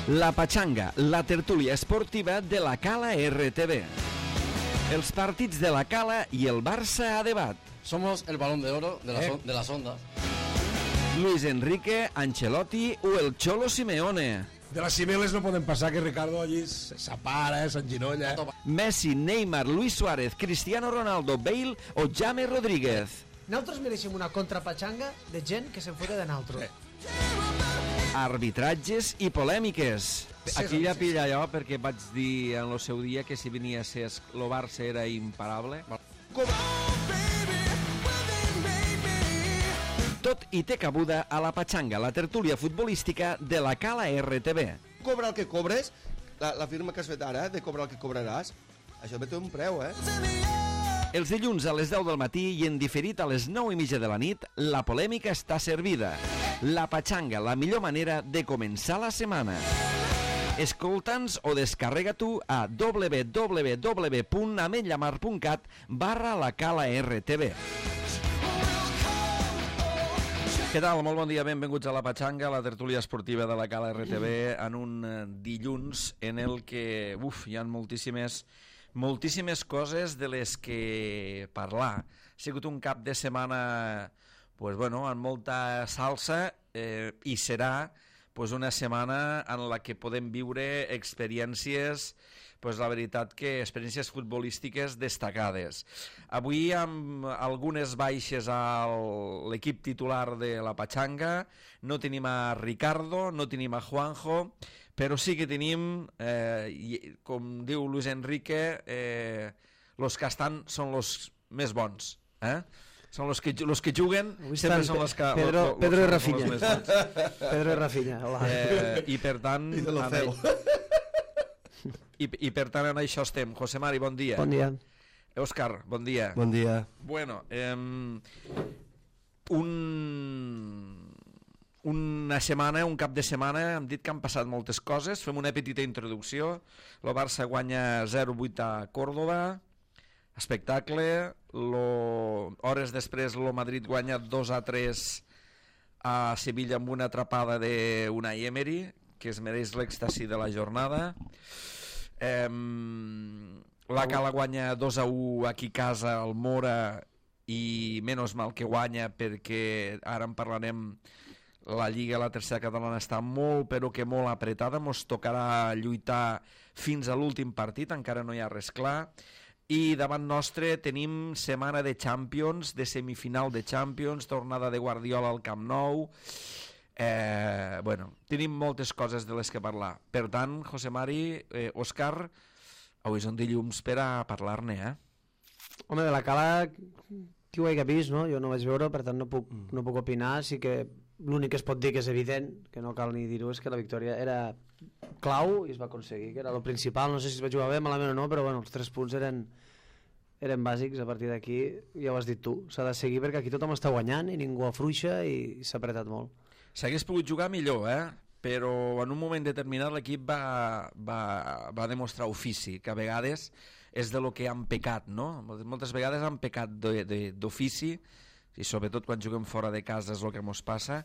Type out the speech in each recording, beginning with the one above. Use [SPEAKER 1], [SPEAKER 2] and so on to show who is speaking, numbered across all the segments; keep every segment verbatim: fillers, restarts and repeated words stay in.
[SPEAKER 1] La Pachanga, la tertúlia esportiva de la Cala R T V. Els partits de la Cala i el Barça a debat.
[SPEAKER 2] Somos el balón de oro de, la
[SPEAKER 3] eh.
[SPEAKER 2] son, de las ondas.
[SPEAKER 1] Luis Enrique, Ancelotti o el Cholo Simeone.
[SPEAKER 3] De les cimeles no poden passar que Ricardo allí s'apara, s'enginolla.
[SPEAKER 1] Messi, Neymar, Luis Suárez, Cristiano Ronaldo, Bale o James Rodríguez.
[SPEAKER 4] Nosaltres mereixem una contrapatxanga de gent que se'n fota de nosaltres.
[SPEAKER 1] Arbitratges i polèmiques. Aquí ja pilla allò perquè vaig dir en el seu dia que si venia a ser el Barça era imparable. Tot i té cabuda a la Pachanga, la tertúlia futbolística de la Cala R T V.
[SPEAKER 5] Cobra el que cobres, la, la firma que has fet ara, de cobrar el que cobraràs, això té un preu, eh?
[SPEAKER 1] Els dilluns a les deu del matí i en diferit a les nou i mitja de la nit, la polèmica està servida. La Pachanga, la millor manera de començar la setmana. Escolta'ns o descarrega tu a w w w punt ametlllamar punt cat barra la Cala R T V. Què tal? Molt bon dia, benvinguts a la Pachanga, la tertúlia esportiva de la Cala R T V, en un dilluns en el que, uf, hi ha moltíssimes, moltíssimes coses de les que parlar. Ha sigut un cap de setmana, pues bueno, amb molta salsa, eh, i serà pues una setmana en la que podem viure experiències, pues la veritat que experiències futbolístiques destacades. Avui amb algunes baixes a l'equip titular de la Pachanga, no tenim a Ricardo, no tenim a Juanjo, però sí que tenim, eh, com diu Luis Enrique, eh, los que estan són los més bons, eh? Són los que, los que juguen sempre són los que...
[SPEAKER 4] Pedro,
[SPEAKER 1] los,
[SPEAKER 4] Pedro
[SPEAKER 1] los,
[SPEAKER 4] i Rafinha.
[SPEAKER 1] los més bons.
[SPEAKER 4] Pedro i Rafinha.
[SPEAKER 1] Eh, I per tant...
[SPEAKER 5] I de lo feu.
[SPEAKER 1] I, I per tant en això estem. José Mari, bon dia.
[SPEAKER 4] Bon dia.
[SPEAKER 1] Òscar, bon dia.
[SPEAKER 5] Bon dia.
[SPEAKER 1] Bueno, eh, un... una setmana, un cap de setmana, hem dit que han passat moltes coses. Fem una petita introducció. El Barça guanya zero a vuit a Còrdova. Espectacle. Lo... Hores després el Madrid guanya dos a tres a Sevilla amb una atrapada d'Unai Emery, que es mereix l'èxtasi de la jornada. Eh, la Cala guanya dos a u aquí a casa al Mora, i menys mal que guanya, perquè ara en parlarem. La Lliga, la tercera catalana, està molt però que molt apretada. Mos tocarà lluitar fins a l'últim partit, encara no hi ha res clar. I davant nostre tenim setmana de Champions, de semifinal de Champions, tornada de Guardiola al Camp Nou. Eh, bueno, tenim moltes coses de les que parlar. Per tant, José Mari, eh, Òscar, avui és un dilluns per a parlar-ne, eh?
[SPEAKER 4] Home, de la Cala, qui ho hagi vist, no? Jo no vaig veure, per tant no puc, no puc opinar. Sí que l'únic que es pot dir que és evident, que no cal ni dir-ho, és que la victòria era clau i es va aconseguir, que era el principal. No sé si es va jugar bé, malament o no, però bueno, els tres punts eren, eren bàsics. A partir d'aquí, ja ho has dit tu, s'ha de seguir perquè aquí tothom està guanyant i ningú afluixa i s'ha apretat molt.
[SPEAKER 1] S'hagués pogut jugar millor, eh? Però en un moment determinat l'equip va, va, va demostrar ofici, que a vegades és de lo que han pecat, no? Moltes vegades han pecat d'ofici, i sobretot quan juguem fora de casa és el que ens passa,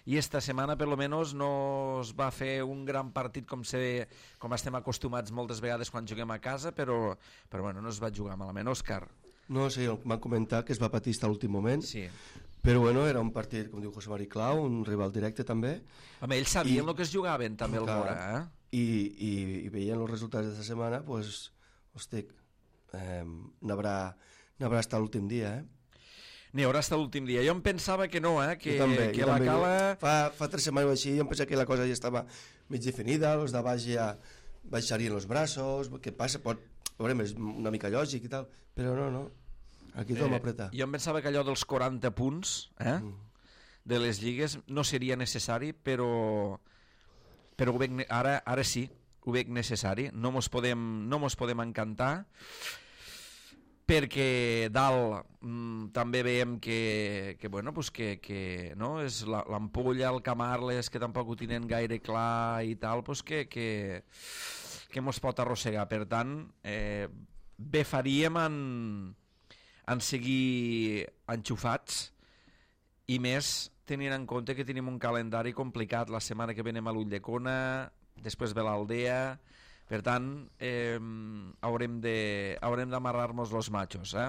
[SPEAKER 1] i esta setmana per lo menos no es va fer un gran partit com, se, com estem acostumats moltes vegades quan juguem a casa, però, però bueno, no es va jugar malament. Òscar?
[SPEAKER 5] No, sí, van comentar que es va patir fins a l'últim moment,
[SPEAKER 1] sí.
[SPEAKER 5] Però bueno, era un partit, com diu José Mari Clau, un rival directe també.
[SPEAKER 1] Home, ells sabien I, el que es jugaven també al Mora, eh?
[SPEAKER 5] I, i, i veient els resultats d'esta setmana, pues, hosti, eh, n'haurà n'haurà estat l'últim dia, eh?
[SPEAKER 1] N'hi haurà estat l'últim dia. Jo em pensava que no, eh? Que,
[SPEAKER 5] també,
[SPEAKER 1] que la
[SPEAKER 5] també.
[SPEAKER 1] Cala...
[SPEAKER 5] Fa, fa tres setmanes o així, jo em pensava que la cosa ja estava mig definida, els de baix ja baixarien els braços, què passa? Pot, veurem, és una mica lògic i tal, però no, no, aquí tothom eh, apreta.
[SPEAKER 1] Jo em pensava que allò dels quaranta punts, eh? Mm. de les lligues no seria necessari, però, però ho veig, ara, ara sí, ho veig necessari. No mos podem, no mos podem encantar, perquè dalt mm, també veiem que, que, bueno, pues que, que no? És l'Ampolla, el Camarles, que tampoc ho tenen gaire clar i tal, pues que, que, que mos pot arrossegar. Per tant, eh, bé faríem en, en seguir enxufats, i més tenint en compte que tenim un calendari complicat. La setmana que venem a l'Ulldecona, després ve l'Aldea, per tant, eh, haurem de, haurem d'amarrar-nos los machos, eh?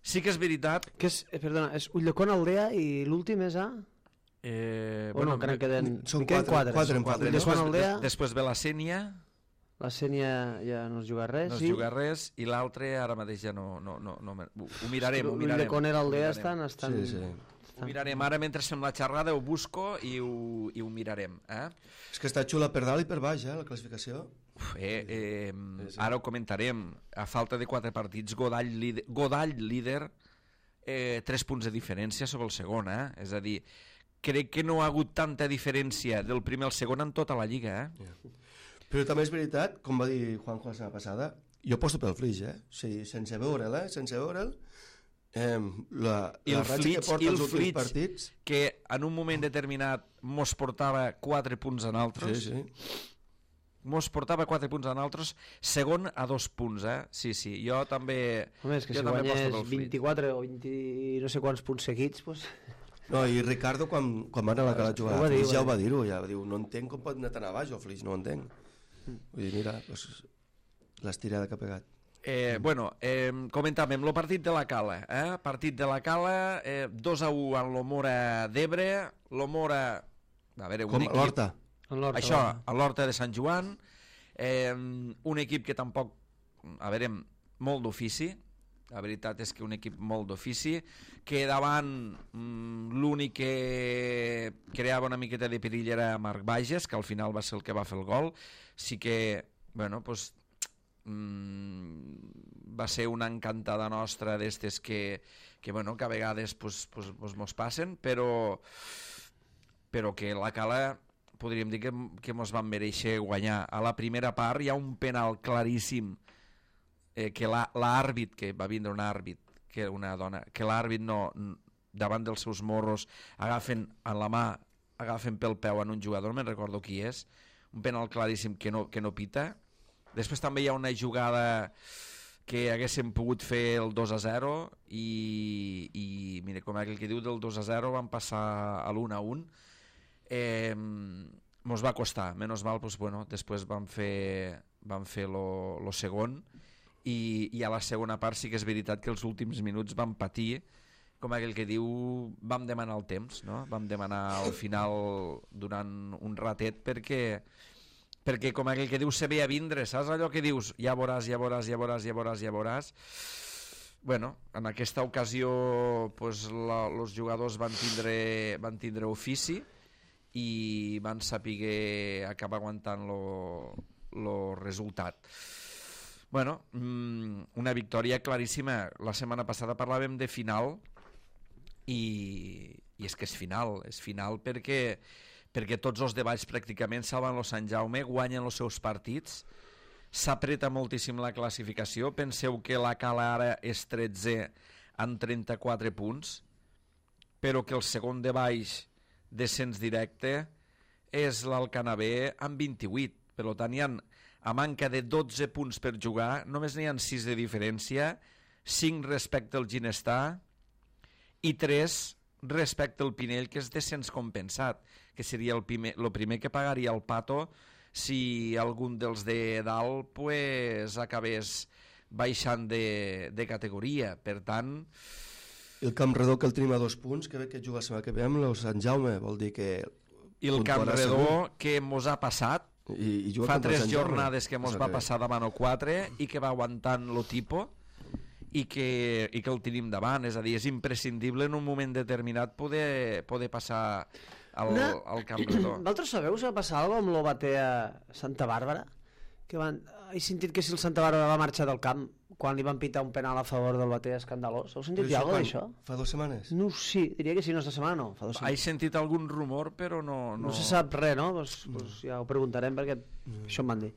[SPEAKER 1] Sí que és veritat...
[SPEAKER 4] Que és, eh, perdona, és Ulldecona, Aldea i l'últim és a...
[SPEAKER 1] Eh,
[SPEAKER 4] o no,
[SPEAKER 1] bueno,
[SPEAKER 4] encara queden...
[SPEAKER 5] són
[SPEAKER 4] en queden
[SPEAKER 5] quatre, quatre
[SPEAKER 4] Són
[SPEAKER 5] en quatre.
[SPEAKER 4] Ulldecona,
[SPEAKER 1] després,
[SPEAKER 4] Aldea,
[SPEAKER 1] des, després ve la Sènia,
[SPEAKER 4] la Sènia ja no es juga res.
[SPEAKER 1] no es
[SPEAKER 4] sí.
[SPEAKER 1] juga res, i l'altre ara mateix ja no... no, no, no me- ho, ho mirarem, ho mirarem.
[SPEAKER 4] L'Ulldecona i l'Aldea
[SPEAKER 1] ho mirarem.
[SPEAKER 4] estan... estan...
[SPEAKER 5] Sí, sí.
[SPEAKER 1] Ho mirarem, ara mentre fem la xerrada ho busco i ho, i ho mirarem. Eh?
[SPEAKER 5] És que està xula per dalt i per baix, eh, la classificació.
[SPEAKER 1] Uf, eh, eh,
[SPEAKER 5] Sí, sí.
[SPEAKER 1] ara ho comentarem. A falta de quatre partits, Godall líder, Godall líder eh, tres punts de diferència sobre el segon. Eh? És a dir, crec que no ha hagut tanta diferència del primer al segon en tota la Lliga. Eh?
[SPEAKER 5] Yeah. Però també és veritat, com va dir Juanjo la setmana passada, jo aposto pel Flix, eh? O sigui, sense veure'l, eh? Sense veure'l, eh, la,
[SPEAKER 1] I
[SPEAKER 5] la
[SPEAKER 1] el
[SPEAKER 5] ratxa
[SPEAKER 1] Flix,
[SPEAKER 5] que porta
[SPEAKER 1] i el
[SPEAKER 5] els últims
[SPEAKER 1] Flix,
[SPEAKER 5] partits...
[SPEAKER 1] que en un moment determinat mos portava quatre punts en altres,
[SPEAKER 5] Sí, sí.
[SPEAKER 1] mos portava quatre punts en altres, segon a dos punts, eh? Sí, sí, jo també...
[SPEAKER 4] Home, és que
[SPEAKER 1] jo
[SPEAKER 4] si
[SPEAKER 1] també aposto
[SPEAKER 4] guanyes
[SPEAKER 1] pel Flix.
[SPEAKER 4] vint-i-quatre o vint i no sé quants punts seguits, doncs...
[SPEAKER 5] No, i Ricardo, quan, quan va anar a la cala a jugar,
[SPEAKER 4] Ho va dir,
[SPEAKER 5] Flix
[SPEAKER 4] ho
[SPEAKER 5] ja
[SPEAKER 4] va
[SPEAKER 5] ho va dir-ho, ja va dir, no entenc com pot anar tan a baix el Flix, no ho entenc. Vull dir, mira, pues, l'estirada que ha pegat.
[SPEAKER 1] Eh, bueno, eh, comentàvem el partit de la Cala, eh? Partit de la Cala, eh, dos a u en l'Homora d'Ebre, l'Homora, a veure, un
[SPEAKER 5] Com,
[SPEAKER 1] equip...
[SPEAKER 5] l'Horta?
[SPEAKER 4] En l'Horta,
[SPEAKER 1] Això,
[SPEAKER 4] va.
[SPEAKER 1] a l'Horta de Sant Joan, eh, un equip que tampoc, a veure, molt d'ofici, la veritat és que un equip molt d'ofici, que davant mm, l'únic que creava una miqueta de perill era Marc Bages, que al final va ser el que va fer el gol. Sí que, bueno, pues, mm, va ser una encantada nostra d'estes que, que, bueno, que a vegades pues, pues, pues mos passen, però, però que la Cala podríem dir que, que mos van mereixer guanyar. A la primera part hi ha un penal claríssim eh, que l'àrbit, que va vindre un àrbit, que una dona, que l'àrbit no, davant dels seus morros, agafen en la mà, agafen pel peu en un jugador, no me'n recordo qui és, un penal claríssim que no, que no pita. Després també hi ha una jugada que haguéssim pogut fer el dos a zero i, i mira, com aquell que diu del dos a zero van passar a l'un a un. Eh, mos va costar, menys mal, doncs, bueno, després vam fer, vam fer lo, lo segon i, i a la segona part sí que és veritat que els últims minuts vam patir, com aquell que diu, vam demanar el temps, no? Vam demanar al final durant un ratet perquè perquè com aquell que diu se ve a vindre, saps allò que dius ja veuràs, ja veuràs, ja veuràs, ja veuràs, ja veuràs. Bueno, en aquesta ocasió pues, la, els jugadors van tindre, van tindre ofici i van saber acabar aguantant lo, lo resultat. Bueno, una victòria claríssima. La setmana passada parlàvem de final i, i és que és final, és final perquè perquè tots els debats pràcticament salven el Sant Jaume, guanyen els seus partits, s'apreta moltíssim la classificació. Penseu que la Cala ara és tretze amb trenta-quatre punts, però que el segon de baix descens directe és l'Alcanavè amb vint-i-vuit. Per tant, hi ha, a manca de dotze punts per jugar, només n'hi ha sis de diferència, cinc respecte al Ginestar i tres respecte al Pinell, que és descens compensat, que seria el primer, el primer que pagaria el Pato si algun dels de dalt pues, acabés baixant de, de categoria. Per tant...
[SPEAKER 5] El Camp Redó, que el tenim a dos punts, que ve que juga la setmana que ve amb el Sant Jaume, vol dir que...
[SPEAKER 1] I el Camp Redó, que mos ha passat,
[SPEAKER 5] I, i juga
[SPEAKER 1] fa
[SPEAKER 5] contra el
[SPEAKER 1] tres
[SPEAKER 5] Sant Jaume.
[SPEAKER 1] jornades que mos va passar davant o quatre i que va aguantant lo tipo i que, i que el tenim davant. És a dir, és imprescindible en un moment determinat poder, poder passar al,
[SPEAKER 4] Una...
[SPEAKER 1] al Camp Redó.
[SPEAKER 4] Vosaltres sabeu si va passar alguna cosa amb l'Obatea Santa Bàrbara? Que van... He sentit que si el Santa Bàrbara va marxar del camp quan li van pitar un penal a favor del Batea escandalós. Heu sentit ja alguna d'això?
[SPEAKER 5] Fa dues setmanes?
[SPEAKER 4] No, sí, diria que sí, no esta setmana no. Fa dues
[SPEAKER 1] He
[SPEAKER 4] setmanes.
[SPEAKER 1] sentit algun rumor, però no...
[SPEAKER 4] No,
[SPEAKER 1] No,
[SPEAKER 4] se sap res, no? Pues, pues ja ho preguntarem perquè això em van dir.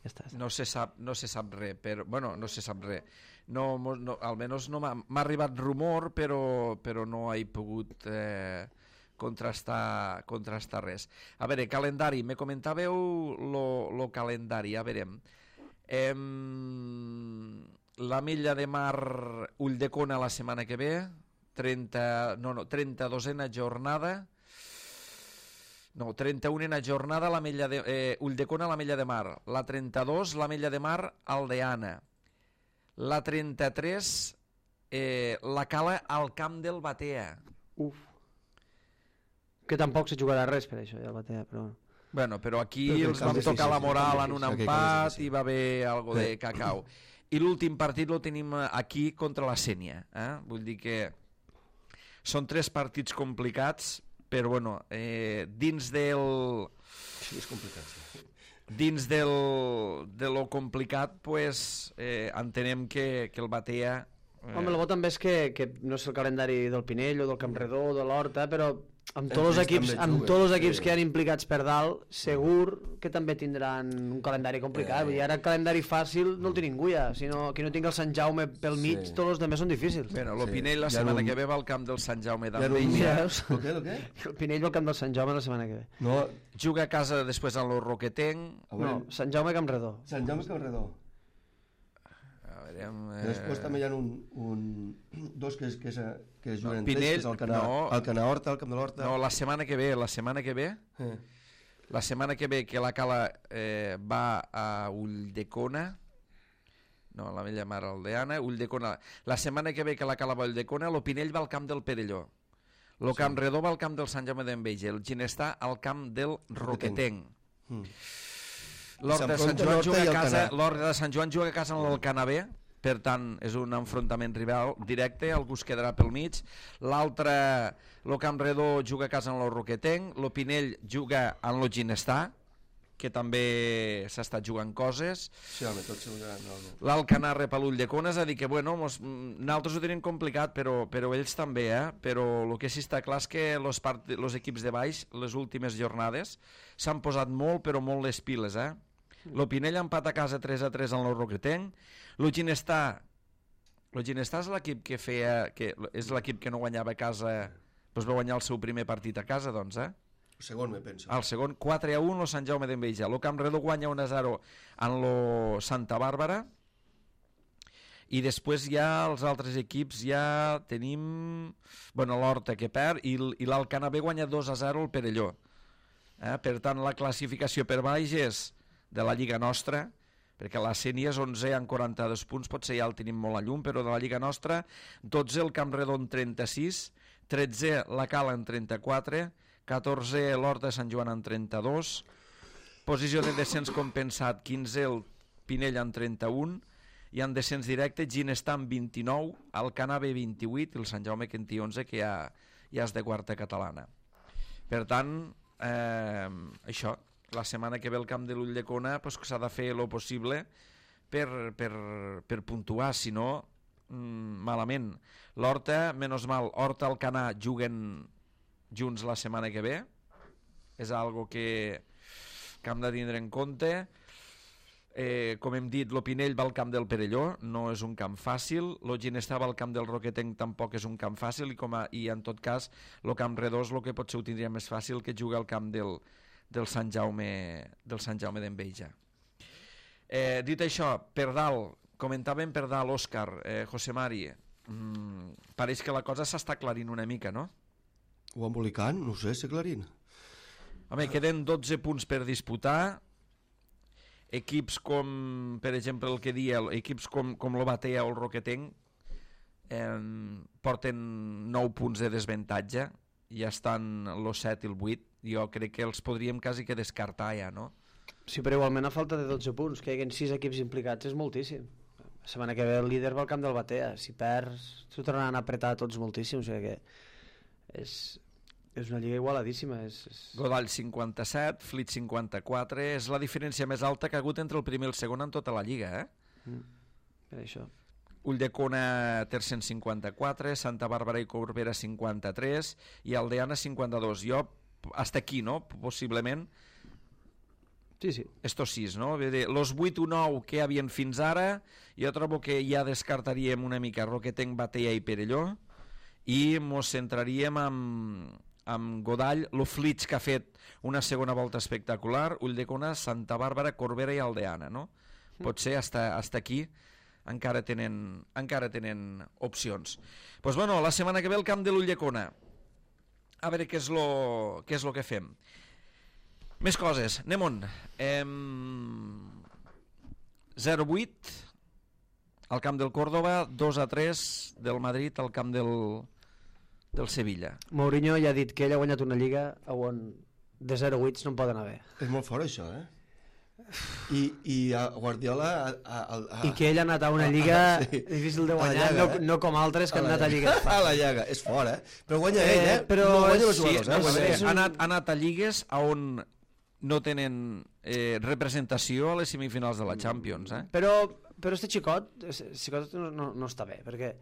[SPEAKER 4] Ja està. Ja està.
[SPEAKER 1] no se sap, no se sap res, però, bueno, no se sap res. No, mo- no, almenys no m'ha m'ha arribat rumor, però, però no he pogut eh, contrastar, contrastar res. A veure, calendari, me comentàveu lo, lo calendari, a veure... Eh, la Milla de Mar Ulldecona la setmana que ve, trenta, no, no, trenta-dosena jornada. No, trenta-una jornada la Mella de, eh, Ulldecona a la Mella de Mar, la trenta-dos la Mella de Mar Aldeana, la trenta-tres eh, la Cala al Camp del Batea.
[SPEAKER 4] Uf. Que tampoc se jugarà res per això, ja el Batea, però...
[SPEAKER 1] Bueno, però aquí
[SPEAKER 5] Però
[SPEAKER 1] els
[SPEAKER 5] camp
[SPEAKER 1] vam
[SPEAKER 5] difícil,
[SPEAKER 1] tocar la
[SPEAKER 5] sí,
[SPEAKER 1] moral
[SPEAKER 5] camp
[SPEAKER 1] en un
[SPEAKER 5] difícil, aquell camp
[SPEAKER 1] empat
[SPEAKER 5] difícil.
[SPEAKER 1] i va haver algo de cacau. I l'últim partit lo tenim aquí contra la Sénia. Eh? Vull dir que són tres partits complicats, però bueno, eh, dins del...
[SPEAKER 5] Sí, és complicat, sí.
[SPEAKER 1] Dins del, de lo complicat, pues, eh, entenem que, que el Batea... Eh,
[SPEAKER 4] Home, el bo també és que, que no és el calendari del Pinell o del Campredó o de l'Horta, però amb
[SPEAKER 5] Els
[SPEAKER 4] tots els
[SPEAKER 5] tres
[SPEAKER 4] equips,
[SPEAKER 5] també
[SPEAKER 4] amb
[SPEAKER 5] juguen,
[SPEAKER 4] tots els
[SPEAKER 5] sí.
[SPEAKER 4] equips que han implicats per dalt, segur que també tindran un calendari complicat.
[SPEAKER 5] Eh.
[SPEAKER 4] Vull dir, ara el calendari fàcil no el té ningú ja, sinó que no tinc el Sant Jaume pel mig,
[SPEAKER 5] Sí.
[SPEAKER 4] tots els altres són difícils.
[SPEAKER 1] Bueno, el
[SPEAKER 5] Sí,
[SPEAKER 1] Pinell la
[SPEAKER 5] hi ha
[SPEAKER 1] setmana
[SPEAKER 5] un-
[SPEAKER 1] que ve va al camp del Sant Jaume
[SPEAKER 5] Hi ha un...
[SPEAKER 1] d'Enveja.
[SPEAKER 4] Veus?
[SPEAKER 5] El què, el què?
[SPEAKER 4] El Pinell va al camp del Sant Jaume la setmana que ve.
[SPEAKER 5] No,
[SPEAKER 1] Juga a casa després amb el Roquetenc.
[SPEAKER 5] a
[SPEAKER 4] No,
[SPEAKER 5] veure,
[SPEAKER 4] Sant Jaume Campredó.
[SPEAKER 5] Sant Jaume Campredó.
[SPEAKER 1] A veure,
[SPEAKER 5] I després també hi ha un, un, dos que, es- que, es, que es juguen entre
[SPEAKER 1] Pinell,
[SPEAKER 5] ells, que és el Cana,
[SPEAKER 1] no.
[SPEAKER 5] el Cana Horta, el Camp de l'Horta.
[SPEAKER 1] No, la setmana que ve, la setmana que ve,
[SPEAKER 5] Eh.
[SPEAKER 1] la setmana que ve que la Cala eh, va a Ulldecona, no, la Vella Mar Aldeana, Ulldecona, la setmana que ve que la Cala va a Ulldecona, el Pinell va al camp del Perelló, el sí. Camp Redó va al camp del Sant Jaume d'Enveja, el Ginestà al camp del Roquetenc.
[SPEAKER 5] Mm.
[SPEAKER 1] L'Horta de Sant
[SPEAKER 5] S'enfronta
[SPEAKER 1] Joan
[SPEAKER 5] l'Horta
[SPEAKER 1] juga
[SPEAKER 5] i
[SPEAKER 1] a
[SPEAKER 5] el
[SPEAKER 1] casa,
[SPEAKER 5] Canà.
[SPEAKER 1] l'Horta de Sant Joan juga a casa amb el Canabé, per tant és un enfrontament rival directe, algú es quedarà pel mig. L'altre, el Camp Redó juga a casa amb el Roquetenc, el Pinell juga amb el Ginestà, que també s'ha estat jugant coses.
[SPEAKER 5] Sí, home, tots jugaran. No, no.
[SPEAKER 1] L'Alcanar rep a l'Ulldecona, és a dir que, bueno, mos, nosaltres ho tenim complicat, però, però ells també, eh? Però el que sí està clar és que els part, los equips de baix, les últimes jornades, s'han posat molt, però molt les piles, eh? El Pinell empat a casa tres a tres en el Roquetenc, el Ginestà, el Ginestà és l'equip que feia, que és l'equip que no guanyava a casa, doncs va guanyar el seu primer partit a casa, doncs, eh?
[SPEAKER 5] El segon, me penso.
[SPEAKER 1] Al segon, quatre a un, el Sant Jaume d'Enveja. El Camp Redó guanya un a zero en lo Santa Bàrbara. I després ja els altres equips ja tenim... Bueno, l'Horta que perd i, l- i l'Alcanabé guanya dos a zero al Perelló. Eh? Per tant, la classificació per baix és de la Lliga nostra, perquè la Sénia és onze amb quaranta-dos punts, potser ja el tenim molt a llum, però de la Lliga nostra, dotze el Camp Redó en trenta-sis, tretze la Cala en trenta-quatre, catorze l'Horta de Sant Joan en trenta-dos, posició de descens compensat quinze el Pinell en trenta-un, i en descens directe Ginestà en vint-i-nou, Alcanar B vint-i-vuit i el Sant Jaume que en té onze, que ja, ja és de quarta catalana. Per tant, eh, això, la setmana que ve el camp de l'Ulldecona pues, s'ha de fer el possible per, per, per puntuar, si no, mm, malament. L'Horta, menys mal, Horta-Alcanar juguen junts la setmana que ve, és algo que, que hem de tindre en compte. Eh, com hem dit, el Pinell va al camp del Perelló, no és un camp fàcil, el Ginestà va al camp del Roquetenc, tampoc és un camp fàcil, i, com a, i en tot cas el Camp Redó és el que potser ho tindria més fàcil que jugar al camp del, del Sant Jaume del Sant Jaume d'Enveja. Eh, dit això, per dalt, comentàvem per dalt, Òscar, eh, José Mari, mm, pareix que la cosa s'està aclarint una mica, no?
[SPEAKER 5] O embolicant, no ho sé, ser clarint.
[SPEAKER 1] Home, queden dotze punts per disputar. Equips com, per exemple, el que dia, equips com, com el Batea o el Roquetenc eh, porten nou punts de desventatge, ja estan els set i el vuit. Jo crec que els podríem quasi que descartar ja, no?
[SPEAKER 4] Sí, però igualment a falta de dotze punts, que hi haguen sis equips implicats és moltíssim. La setmana que ve el líder va al camp del Batea. Si perds, s'ho tornaran a apretar tots moltíssim. O sigui que és, és una lliga igualadíssima. És, és...
[SPEAKER 1] Godall cinquanta-set, Flit cinquanta-quatre, és la diferència més alta que ha hagut entre el primer i el segon en tota la lliga, eh?
[SPEAKER 4] Mm. Per això.
[SPEAKER 1] Ulldecona tercer en cinquanta-quatre, Santa Bàrbara i Corbera cinquanta-tres i Aldeana cinquanta-dos. Jo, hasta aquí, no? Possiblement,
[SPEAKER 4] Sí, sí.
[SPEAKER 1] estos sis, no? Vull dir, los vuit o nou que hi havien fins ara, jo trobo que ja descartaríem una mica Roquetenc, Batea i Perelló, i mos centraríem amb, amb Godall, lo Flits, que ha fet una segona volta espectacular, Ulldecona, Santa Bàrbara, Corbera i Aldeana, no? Potser hasta, hasta aquí encara tenen, encara tenen opcions. Doncs pues bueno, la setmana que ve el camp de l'Ulldecona, a veure què és lo, què és lo que fem. Més coses, anem-on. Eh, zero vuit al camp del Córdoba, dos a tres del Madrid al camp del, del Sevilla.
[SPEAKER 4] Mourinho ja ha dit que ell ha guanyat una lliga on de zero vuit no en poden haver.
[SPEAKER 5] És molt fort això, eh? I, i a Guardiola a, a, a,
[SPEAKER 4] I que ell ha anat a una lliga a, a, sí. difícil de guanyar, llaga, eh? no, no com altres que a han anat a lligues.
[SPEAKER 5] A la llaga, és fort, eh? Però guanya ell, eh?
[SPEAKER 4] Però
[SPEAKER 5] no guanya els
[SPEAKER 1] sí,
[SPEAKER 5] jugadors, eh? Guanya
[SPEAKER 1] és, un... ha, anat, ha anat a lligues on no tenen eh, representació a les semifinals de la Champions, eh?
[SPEAKER 4] Però, però este xicot, este xicot no, no, no està bé, perquè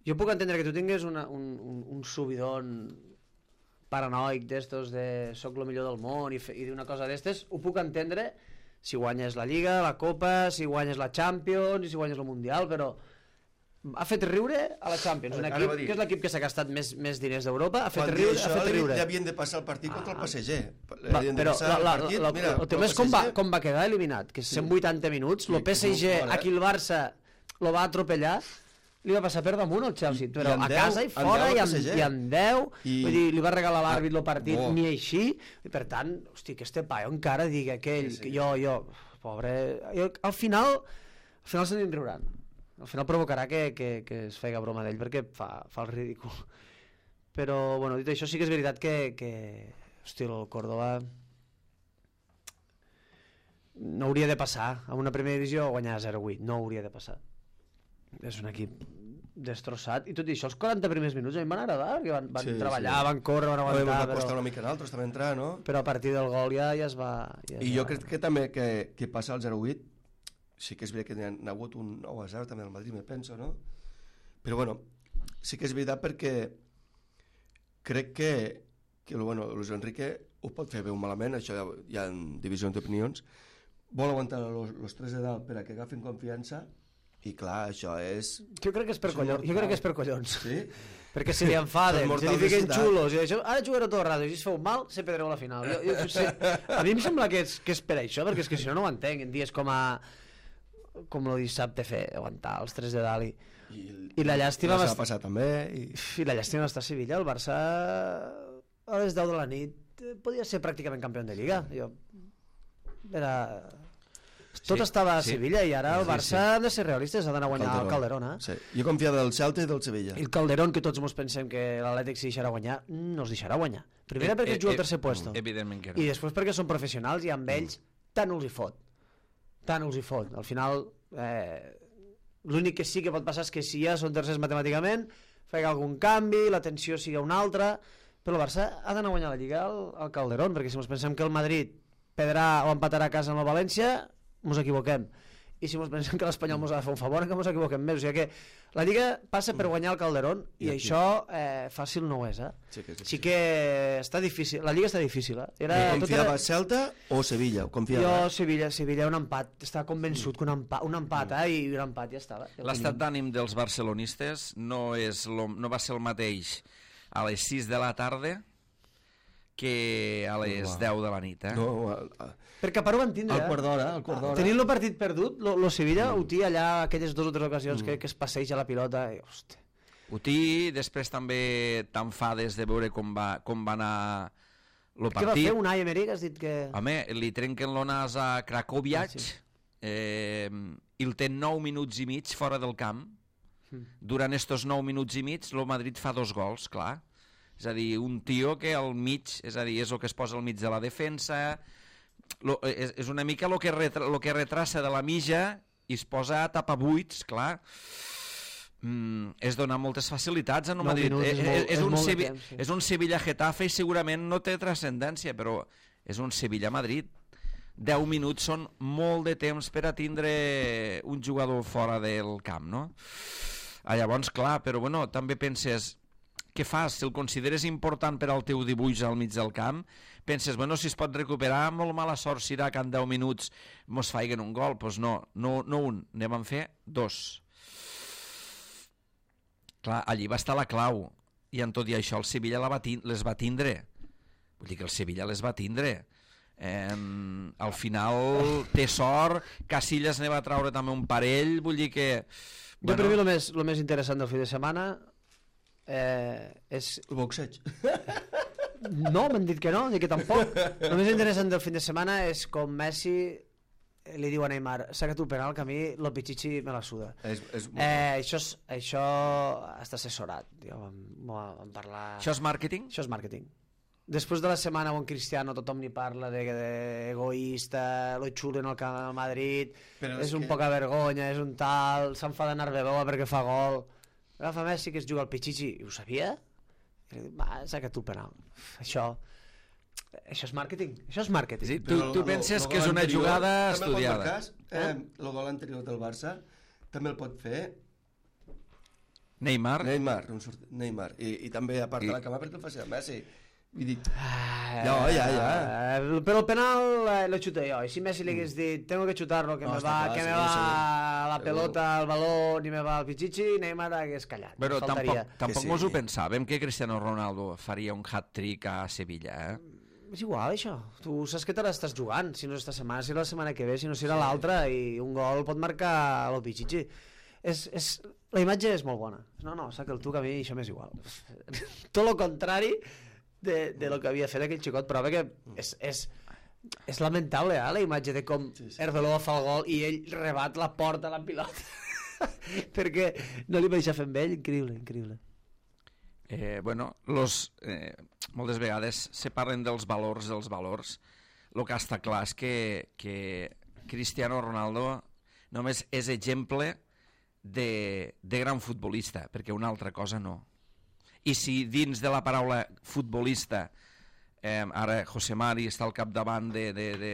[SPEAKER 4] jo puc entendre que tu tingues una, un, un, un subidon paranoic d'estos de soc el millor del món i, fe, i d'una cosa d'estes, ho puc entendre si guanyes la Lliga, la Copa, si guanyes la Champions i si guanyes el Mundial, però ha fet riure a la Champions, un equip que és l'equip que s'ha gastat més, més diners d'Europa, ha fet
[SPEAKER 5] quan
[SPEAKER 4] riure,
[SPEAKER 5] això
[SPEAKER 4] ha fet riure.
[SPEAKER 5] li havien de passar el partit contra el P S G.
[SPEAKER 4] Va, però la, la, partit, la, mira, el tema és com va, com va quedar eliminat, que cent vuitanta minuts, el P S G, aquí el Barça lo va atropellar, li va passar per damunt al Chelsea, però a casa i fora i en, i en deu, I... vull dir, li va regalar l'àrbit el partit, oh. ni així, i per tant, hosti, que este paio encara digui aquell, sí, sí. que jo, jo, pobre, jo, al final, al final se n'hi riuran, al final provocarà que, que, que es fega broma d'ell, perquè fa, fa el ridícul. Però, bueno, dit això, sí que és veritat que, que hosti, el Córdoba no hauria de passar a una primera divisió a guanyar zero vuit, no hauria de passar. És un equip destrossat i tot i això els quaranta primers minuts a mi van agradar perquè van, van sí, treballar, sí. van córrer, van aguantar,
[SPEAKER 5] va costar però... una mica en altres també entrar, no?
[SPEAKER 4] Però a partir del gol ja, ja es va ja es
[SPEAKER 5] i
[SPEAKER 4] va...
[SPEAKER 5] jo crec que també que, que passa al zero vuit sí que és veritat que n'hi ha, ha hagut un nou a zero també al Madrid, me penso, no? Però bueno, sí que és veritat perquè crec que que bueno, Luis Enrique ho pot fer bé o malament, això ja, ja en divisions d'opinions, vol aguantar els tres de dalt per a que agafin confiança. I clar, això és...
[SPEAKER 4] Jo crec que és per collons, jo crec que és per collons.
[SPEAKER 5] Sí?
[SPEAKER 4] Perquè si li enfaden, si li fiquen xulos, i això, ara jugaré tot el rato, i si es feu mal, se perdreu la final. Jo, jo, sí, a mi em sembla que és, que és per això, perquè és que si no, no ho entenc. En dies com a... com el dissabte fer, aguantar els tres de dalt. I, I, i la llàstima...
[SPEAKER 5] va passar també. I...
[SPEAKER 4] I la llàstima va estar a Sevilla. El Barça, a les deu de la nit, podia ser pràcticament campió de Lliga. Jo... Era... Tot sí, estava a Sevilla sí. I ara el Barça sí, sí. ha de ser realistes, ha d'anar a guanyar Calderón. El Calderón. Eh?
[SPEAKER 5] Sí. Jo confiava del Celta i del Sevilla.
[SPEAKER 4] I el Calderón, que tots ens pensem que l'Atlètic s'hi deixarà guanyar, no es deixarà guanyar. Primera perquè es juga al tercer puesto.
[SPEAKER 1] Evidentment que no.
[SPEAKER 4] I després perquè són professionals i amb ells tant els hi fot. Tant els hi fot. Al final, eh, l'únic que sí que pot passar és que si ja són tercers matemàticament, faig algun canvi, la tensió sigui una altra, però el Barça ha d'anar a guanyar la Lliga al, al Calderón, perquè si ens pensem que el Madrid perdrà o empatarà a casa amb el València, ens equivoquem. I si ens pensem que l'Espanyol ens ha de fer un favor, que ens equivoquem més. O sigui que la Lliga passa per guanyar el Calderón i, i això eh, fàcil no ho és. Eh? Sí, que, sí, sí que està difícil. La Lliga està difícil. Eh? Era,
[SPEAKER 5] confiava
[SPEAKER 4] era...
[SPEAKER 5] Celta o Sevilla? Confiava?
[SPEAKER 4] Jo, Sevilla, Sevilla, un empat. Estava convençut que un empat, un empat eh? I un empat ja estava. Ja
[SPEAKER 1] l'estat d'ànim dels barcelonistes no, és lo, no va ser el mateix a les sis de la tarda que a les no, deu de la nit. Eh?
[SPEAKER 5] No, a, a...
[SPEAKER 4] Perquè per ho van tindre,
[SPEAKER 5] al quart d'hora, al quart d'hora.
[SPEAKER 4] Tenint el partit perdut, lo, lo Sevilla, mm. Utí allà, aquelles dues o tres ocasions mm. que, que es passeja la pilota, i, hosti.
[SPEAKER 1] Utí, després també t'enfades de veure com va, com va anar el partit.
[SPEAKER 4] Què va fer un Emery, que has dit que...
[SPEAKER 1] Home, li trenquen el nas a Krakowiak, ah, sí. eh, i el té nou minuts i mig fora del camp. Mm. Durant estos nou minuts i mig, el Madrid fa dos gols, clar. És a dir, un tio que al mig, és a dir, és el que es posa al mig de la defensa... Lo, és, és una mica el que, retra, lo que retraça de la mitja i es posa a tapabuits, clar. Mm, és donar moltes facilitats a no Madrid.
[SPEAKER 4] Minuts, és, és, és,
[SPEAKER 1] és, un
[SPEAKER 4] Sevi temps, sí.
[SPEAKER 1] és un Sevilla-Getafe i segurament no té transcendència, però és un Sevilla-Madrid. deu minuts són molt de temps per a tindre un jugador fora del camp, no? Ah, llavors, clar, però bueno, també penses... Què fas? Si el consideres important per al teu dibuix al mig del camp, penses, bueno, si es pot recuperar, molt mala sort serà que en deu minuts mos faiguen un gol. Doncs pues no, no, no un, anem a fer dos. Clar, allí va estar la clau, i en tot i això el Sevilla la va les va tindre. Vull dir que el Sevilla les va tindre. Eh, al final té sort, Casillas ne va traure també un parell, vull dir que...
[SPEAKER 4] Bueno... Jo per mi el més, el més interessant del fi de setmana... Eh, és...
[SPEAKER 5] el boxeig.
[SPEAKER 4] No, m'han dit que no, dic que tampoc. El més interessant del fin de setmana és com Messi li diu a Neymar, saca tu el penal que a mi lo pichichi me la suda.
[SPEAKER 5] És, és...
[SPEAKER 4] Eh, això, és, això està assessorat. Jo, vam, vam parlar...
[SPEAKER 1] Això és màrqueting?
[SPEAKER 4] Això és màrqueting. Després de la setmana on Cristiano tothom ni parla de, de egoista, lo xulo en el camp del Madrid,
[SPEAKER 5] Però
[SPEAKER 4] és,
[SPEAKER 5] és
[SPEAKER 4] un
[SPEAKER 5] que-
[SPEAKER 4] poca vergonya, és un tal, s'enfada Arbeloa perquè fa gol. Agafa Messi que es juga al Pichichi, i ho sabia? I li diu, va, saca tu el penal. Això, això és màrqueting, això és màrqueting.
[SPEAKER 1] Sí, tu, tu penses que és una jugada estudiada.
[SPEAKER 5] Eh? El gol anterior del Barça també el pot fer
[SPEAKER 1] Neymar?
[SPEAKER 5] Neymar, un sort... Neymar. I, i també a part
[SPEAKER 1] I-
[SPEAKER 5] de la cama perquè el faci a Messi. Vull dir,
[SPEAKER 4] Ah,
[SPEAKER 5] No, ja, ja.
[SPEAKER 4] eh, Però el penal eh, lo xuté jo. I si Messi li hagués dit, tengo que chutarlo, que
[SPEAKER 5] No,
[SPEAKER 4] me
[SPEAKER 5] està
[SPEAKER 4] va,
[SPEAKER 5] clar,
[SPEAKER 4] que me
[SPEAKER 5] segur,
[SPEAKER 4] va
[SPEAKER 5] segur.
[SPEAKER 4] la
[SPEAKER 5] Segur.
[SPEAKER 4] pelota, el balón, i me va el pichichi, Neymar hagués callat.
[SPEAKER 1] Però
[SPEAKER 4] Ens faltaria.
[SPEAKER 1] tampoc, tampoc
[SPEAKER 5] sí.
[SPEAKER 1] mos ho pensàvem que Cristiano Ronaldo faria un hat-trick a Sevilla, eh?
[SPEAKER 4] És igual, això. Tu saps que te l'estàs jugant. Si no és esta setmana, serà la setmana que ve, si no serà l'altra, i un gol pot marcar el pichichi. És, és, la imatge és molt bona. No, no, saca el tu, que a mi això m'és igual. Tot el contrari de, de lo que havia fet aquell xicot, però que és, és, és lamentable, eh, la imatge de com sí, sí. Arbeloa fa el gol i ell rebat la porta a la pilota perquè no li va deixar fer amb ell. Increïble, increïble.
[SPEAKER 1] Eh, bueno, los, eh, moltes vegades se parlen dels valors dels valors. El que està clar és que, que Cristiano Ronaldo només és exemple de, de gran futbolista, perquè una altra cosa no. I si dins de la paraula futbolista, eh, ara José Mari està al capdavant de, de, de,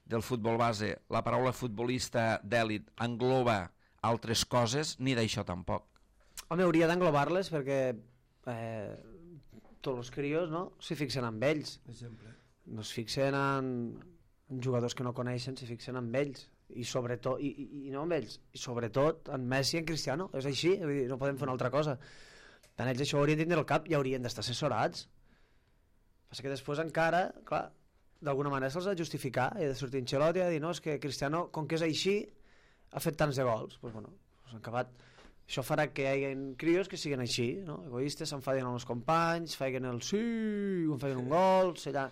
[SPEAKER 1] del futbol base, la paraula futbolista d'èlit engloba altres coses, ni d'això tampoc.
[SPEAKER 4] Home, hauria d'englobar-les perquè eh, tots els crios, no?, s'hi fixen en ells.
[SPEAKER 5] exemple.
[SPEAKER 4] No es fixen en, en jugadors que no coneixen, s'hi fixen en ells. I sobretot, i, i, i no en ells, i sobretot en Messi i en Cristiano. És així, vull dir, no podem fer una altra cosa. Tant ells això ho haurien de tindre al cap i haurien d'estar assessorats. Passa que després encara, clar, d'alguna manera se'ls ha de justificar, i ha de sortir Ancelotti i ha de dir, no, és que Cristiano, com que és així, ha fet tants de gols. Pues bueno, pues han acabat. Això farà que hi hagi crios que siguin així, no? Egoistes, s'enfadin amb els companys, feien el sí, quan feien un gol, serà...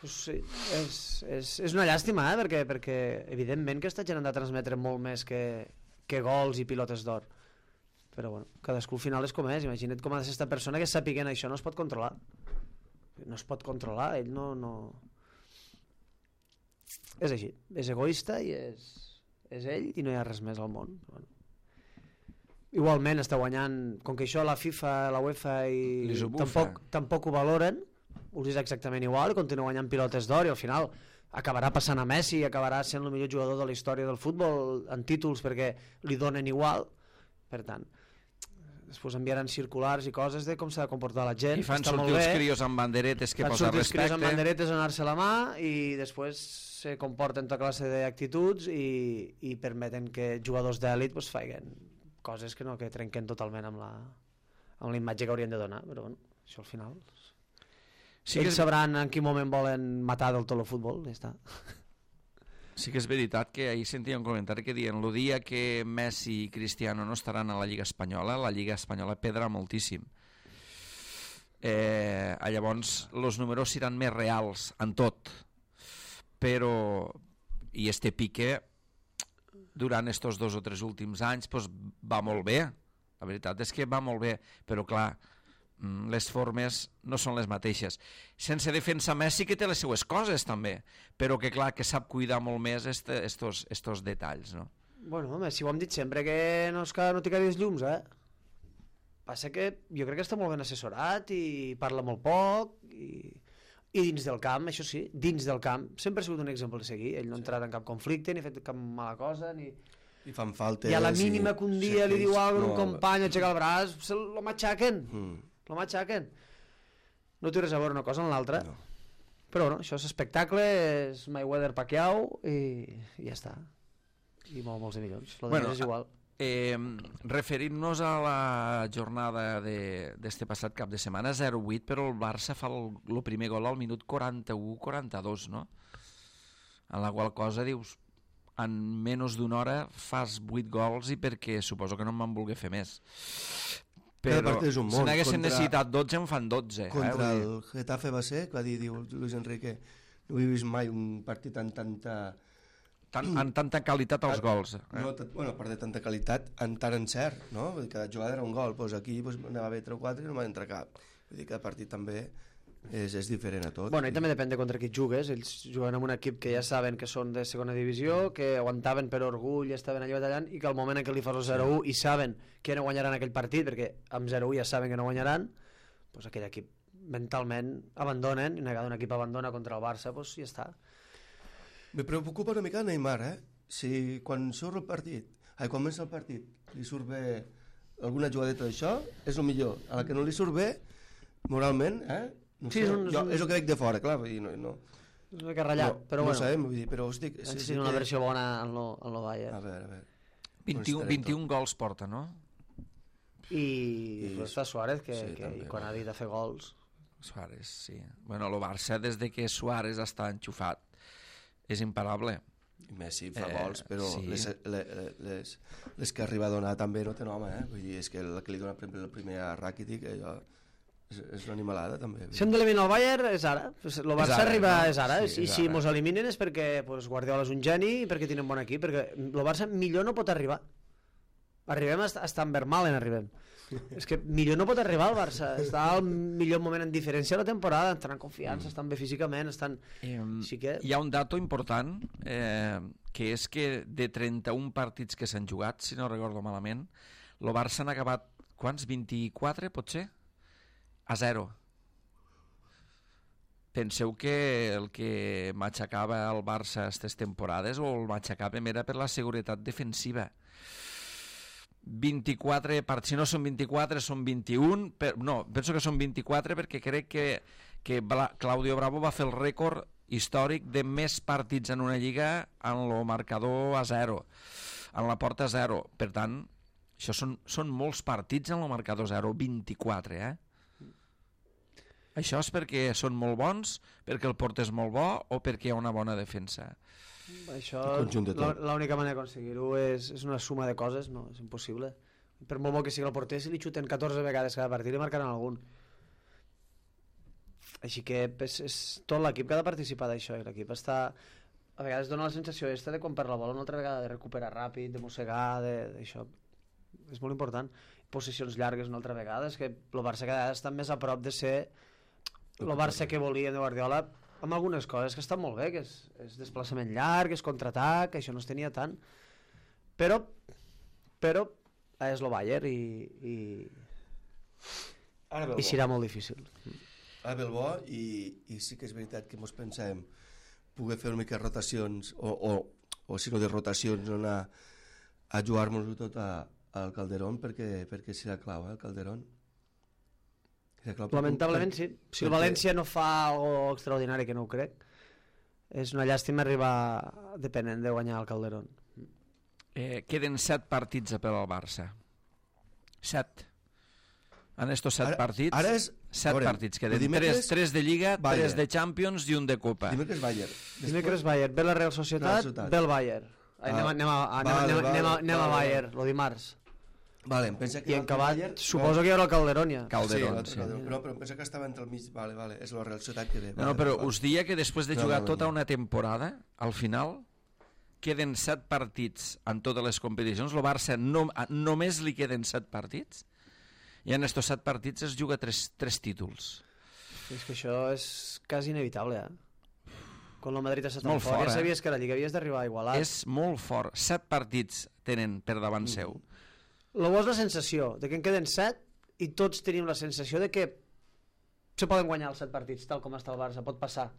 [SPEAKER 4] Pues sí, és, és, és una llàstima, eh? perquè, perquè evidentment que aquesta gent han de transmetre molt més que, que gols i pilotes d'or. Però bueno, cadascú al final és com és. Imagina't com ha de ser aquesta persona que sàpiguen això no es pot controlar. No es pot controlar, ell no... no... És així, és egoista i és, és ell i no hi ha res més al món. Bueno. Igualment està guanyant, com que això la FIFA, la UEFA i tampoc, tampoc ho valoren, ho és exactament igual i continua guanyant pilotes d'or i al final acabarà passant a Messi i acabarà sent el millor jugador de la història del futbol en títols perquè li donen igual. Per tant, després enviaran circulars i coses de com s'ha de comportar la gent.
[SPEAKER 1] I fan
[SPEAKER 4] està
[SPEAKER 1] sortir els crios amb banderetes que
[SPEAKER 4] fan
[SPEAKER 1] posa
[SPEAKER 4] sortir els crios amb
[SPEAKER 1] respecte.
[SPEAKER 4] banderetes a donar-se la mà i després se comporten tota classe d'actituds i, i permeten que jugadors d'èlit pues, facin coses que no que trenquen totalment amb la, amb la imatge que haurien de donar, però bueno, això al final
[SPEAKER 1] Sí
[SPEAKER 4] ells
[SPEAKER 1] que és,
[SPEAKER 4] sabran en quin moment volen matar del tot el futbol, ja està.
[SPEAKER 1] sí que és veritat que ahir sentia un comentari que diuen el dia que Messi i Cristiano no estaran a la Lliga Espanyola, la Lliga Espanyola perdrà moltíssim. Eh, llavors, els números seran més reals en tot, però i este Piqué durant estos dos o tres últims anys pues, va molt bé, la veritat és que va molt bé, però clar, les formes no són les mateixes. Sense defensa Messi que té les seues coses també, però que clar que sap cuidar molt més este, estos, estos detalls, no?
[SPEAKER 4] Bueno, Messi ho hem dit sempre que no, és que no té els llums, eh? Passa que jo crec que està molt ben assessorat i parla molt poc i, i dins del camp, això sí, dins del camp sempre ha sigut un exemple a seguir, ell no ha entrat en cap conflicte ni ha fet cap mala cosa ni...
[SPEAKER 5] I fan faltes...
[SPEAKER 4] I a la mínima que un dia li diu alguna cosa a un
[SPEAKER 5] no,
[SPEAKER 4] company, aixeca el braç, se lo matxaquen,
[SPEAKER 5] Mm.
[SPEAKER 4] lo matxaquen. No té res a veure una cosa amb l'altra.
[SPEAKER 5] No.
[SPEAKER 4] Però bueno, això és espectacle, és Mayweather Pacquiao i, i ja està. I molt, molts de milions. Lo
[SPEAKER 1] Bueno,
[SPEAKER 4] bueno, és igual.
[SPEAKER 1] Eh, referint-nos a la jornada d'este passat cap de setmana, zero vuit, però el Barça fa el, el primer gol al minut quaranta-u quaranta-dos, no? En la qual cosa dius, en menys d'una hora fas vuit gols i perquè suposo que no em van voler fer més. però
[SPEAKER 5] partit és un món.
[SPEAKER 1] si n'haguessin
[SPEAKER 5] Contra-
[SPEAKER 1] necessitat dotze en fan dotze.
[SPEAKER 5] Contra
[SPEAKER 1] eh?
[SPEAKER 5] el Getafe va ser, que va dir, diu Luis Enrique, no he vist mai un partit amb tanta...
[SPEAKER 1] Tan, amb tanta qualitat als gols. Eh?
[SPEAKER 5] No, t- bueno, a part de tanta qualitat, en tant encert, no? Vull dir, cada jugada era un gol, doncs aquí doncs, anava a haver tres o quatre i no va entrar cap. Vull dir que el partit també és, és diferent a tot.
[SPEAKER 4] Bueno, i també depèn de contra qui et jugues. Ells juguen amb un equip que ja saben que són de segona divisió, que aguantaven per orgull, estaven allà batallant, i que al moment en què li fas el zero a u i saben que no guanyaran aquell partit, perquè amb zero a u ja saben que no guanyaran, doncs aquell equip mentalment abandonen, i cada un equip abandona contra el Barça, doncs ja està.
[SPEAKER 5] Me preocupa una mica Neymar, eh? Si quan surt el partit, ai, quan comença el partit, li surt bé alguna jugadeta d'això, és el millor. A la que no li surt bé, moralment, eh? No
[SPEAKER 4] Sí,
[SPEAKER 5] sé,
[SPEAKER 4] és un-
[SPEAKER 5] jo,
[SPEAKER 4] és un-
[SPEAKER 5] és el que veig de fora, clar, vull dir, no, no,
[SPEAKER 4] És una mica ratllat,
[SPEAKER 5] no,
[SPEAKER 4] però
[SPEAKER 5] no
[SPEAKER 4] bueno,
[SPEAKER 5] sabem, vull dir, però hosti...
[SPEAKER 4] han sí, una
[SPEAKER 5] que-
[SPEAKER 4] versió bona en lo, en lo Bayern.
[SPEAKER 5] A veure, a veure.
[SPEAKER 1] vint-i-un, vint-i-un gols porta, no?
[SPEAKER 4] I,
[SPEAKER 5] I-
[SPEAKER 4] I està Suárez, que,
[SPEAKER 5] sí,
[SPEAKER 4] que
[SPEAKER 5] també.
[SPEAKER 4] i quan ha dit de fer gols...
[SPEAKER 1] Suárez, sí. Bueno, el Barça, des de que Suárez està enxufat, és imparable.
[SPEAKER 5] I Messi fa
[SPEAKER 1] Eh,
[SPEAKER 5] gols, però
[SPEAKER 1] sí.
[SPEAKER 5] les, les, les, les que arriba a donar també no té home, eh? Vull dir, és que la que li dona per exemple, el primer a Rakitic, allò, és, és una animalada també.
[SPEAKER 4] Si hem d'eliminar el Bayern és ara. Pues el Barça
[SPEAKER 1] ara,
[SPEAKER 4] arriba
[SPEAKER 1] no?
[SPEAKER 4] és ara.
[SPEAKER 5] Sí,
[SPEAKER 4] I
[SPEAKER 5] és
[SPEAKER 4] si
[SPEAKER 5] ara.
[SPEAKER 4] mos eliminen és perquè pues, Guardiola és un geni i perquè tenen bon equip, perquè el Barça millor no pot arribar. Arribem a estar en Vermaelen, arribem. És que millor no pot arribar el Barça. Està al millor moment en diferència de la temporada, estan en confiança, estan bé físicament, estan...
[SPEAKER 1] Eh,
[SPEAKER 4] Així que...
[SPEAKER 1] Hi ha un dato important, eh, que és que de trenta-un partits que s'han jugat, si no recordo malament, el Barça han acabat, quants? vint-i-quatre, potser? A zero. Penseu que el que matxacava el Barça aquestes temporades, o el matxacàvem, era per la seguretat defensiva. vint-i-quatre, si no són vint-i-quatre, són vint-i-un, per, no, penso que són vint-i-quatre perquè crec que, que Bla, Claudio Bravo va fer el rècord històric de més partits en una lliga en el marcador a zero, en la porta a zero. Per tant, això són, són molts partits en el marcador zero, vint-i-quatre, eh? Això és perquè són molt bons, perquè el porter és molt bo o perquè hi ha una bona defensa.
[SPEAKER 4] Això,
[SPEAKER 5] El conjunt de tot.
[SPEAKER 4] la- l'única manera d'aconseguir-ho és, és una suma de coses, no, és impossible. Per molt bo que sigui el porter, si li xuten catorze vegades cada partit, li marcaran algun. Així que és, és tot l'equip que ha de participar d'això, i l'equip està... A vegades dona la sensació esta de quan per la bola una altra vegada, de recuperar ràpid, de mossegar, d'això. És molt important. Possessions llargues una altra vegada, és que el Barça cada vegada està més a prop de ser el Barça que volia de Guardiola, amb algunes coses que estan molt bé, que és, és desplaçament llarg, és contraatac, que això no es tenia tant, però però és el Bayern i, i,
[SPEAKER 5] Ara ve el
[SPEAKER 4] i
[SPEAKER 5] bo.
[SPEAKER 4] serà molt difícil.
[SPEAKER 5] Ara ve el bo i, i sí que és veritat que mos pensem poder fer una mica de rotacions o, o, o si no de rotacions no anar a jugar-nos-ho tot a, al Calderón perquè, perquè serà clau, eh, el Calderón. Serà clau,
[SPEAKER 4] Lamentablement sí. Si el
[SPEAKER 5] perquè-
[SPEAKER 4] València no fa algo extraordinari, que no ho crec, és una llàstima arribar depenent de guanyar el Calderón.
[SPEAKER 1] Eh, queden set partits per al Barça. Set. En estos set
[SPEAKER 5] Ara-
[SPEAKER 1] partits,
[SPEAKER 5] ara és-
[SPEAKER 1] set
[SPEAKER 5] veurem,
[SPEAKER 1] partits.
[SPEAKER 5] el
[SPEAKER 1] Queden
[SPEAKER 5] dimecres,
[SPEAKER 1] tres, tres de Lliga,
[SPEAKER 5] Bayern.
[SPEAKER 1] tres de Champions i un de Copa.
[SPEAKER 5] Dimecres Bayern.
[SPEAKER 4] Dimecres Bayern, ve la Real Societat,
[SPEAKER 5] Real Societat.
[SPEAKER 4] ve el Bayern. Ai, anem, a- anem, a, anem, a-
[SPEAKER 5] Vale,
[SPEAKER 4] anem, a- anem, a-
[SPEAKER 5] vale,
[SPEAKER 4] anem a
[SPEAKER 5] vale,
[SPEAKER 4] Bayern, lo dimarts.
[SPEAKER 5] Vale, em pensa que
[SPEAKER 4] I en
[SPEAKER 5] l'altre
[SPEAKER 4] cavall,
[SPEAKER 5] Bayern-
[SPEAKER 4] suposo que hi haurà el Calderón ja.
[SPEAKER 1] Calderón,
[SPEAKER 5] sí, l'altre
[SPEAKER 1] sí.
[SPEAKER 5] Calderón. Però, però em pensa que estava entre el mig. Vale, vale, és la Real Societat que ve.
[SPEAKER 1] No, no,
[SPEAKER 5] vale,
[SPEAKER 1] però
[SPEAKER 5] vale.
[SPEAKER 1] us dia que després de
[SPEAKER 5] No,
[SPEAKER 1] jugar
[SPEAKER 5] no, no,
[SPEAKER 1] tota
[SPEAKER 5] no.
[SPEAKER 1] una temporada, al final, queden set partits en totes les competicions. El Barça no, a- només li queden set partits i en estos set partits es juga tres, tres títols.
[SPEAKER 4] És que això és quasi inevitable, eh? Quan el Madrid està tan
[SPEAKER 1] molt
[SPEAKER 4] fort,
[SPEAKER 1] fort,
[SPEAKER 4] ja
[SPEAKER 1] eh?
[SPEAKER 4] sabies que a la Lliga havies d'arribar a igualar.
[SPEAKER 1] És molt fort. Set partits tenen per davant seu.
[SPEAKER 4] La bo és la sensació de que en queden set i tots tenim la sensació de que se poden guanyar els set partits, tal com està el Barça, pot passar.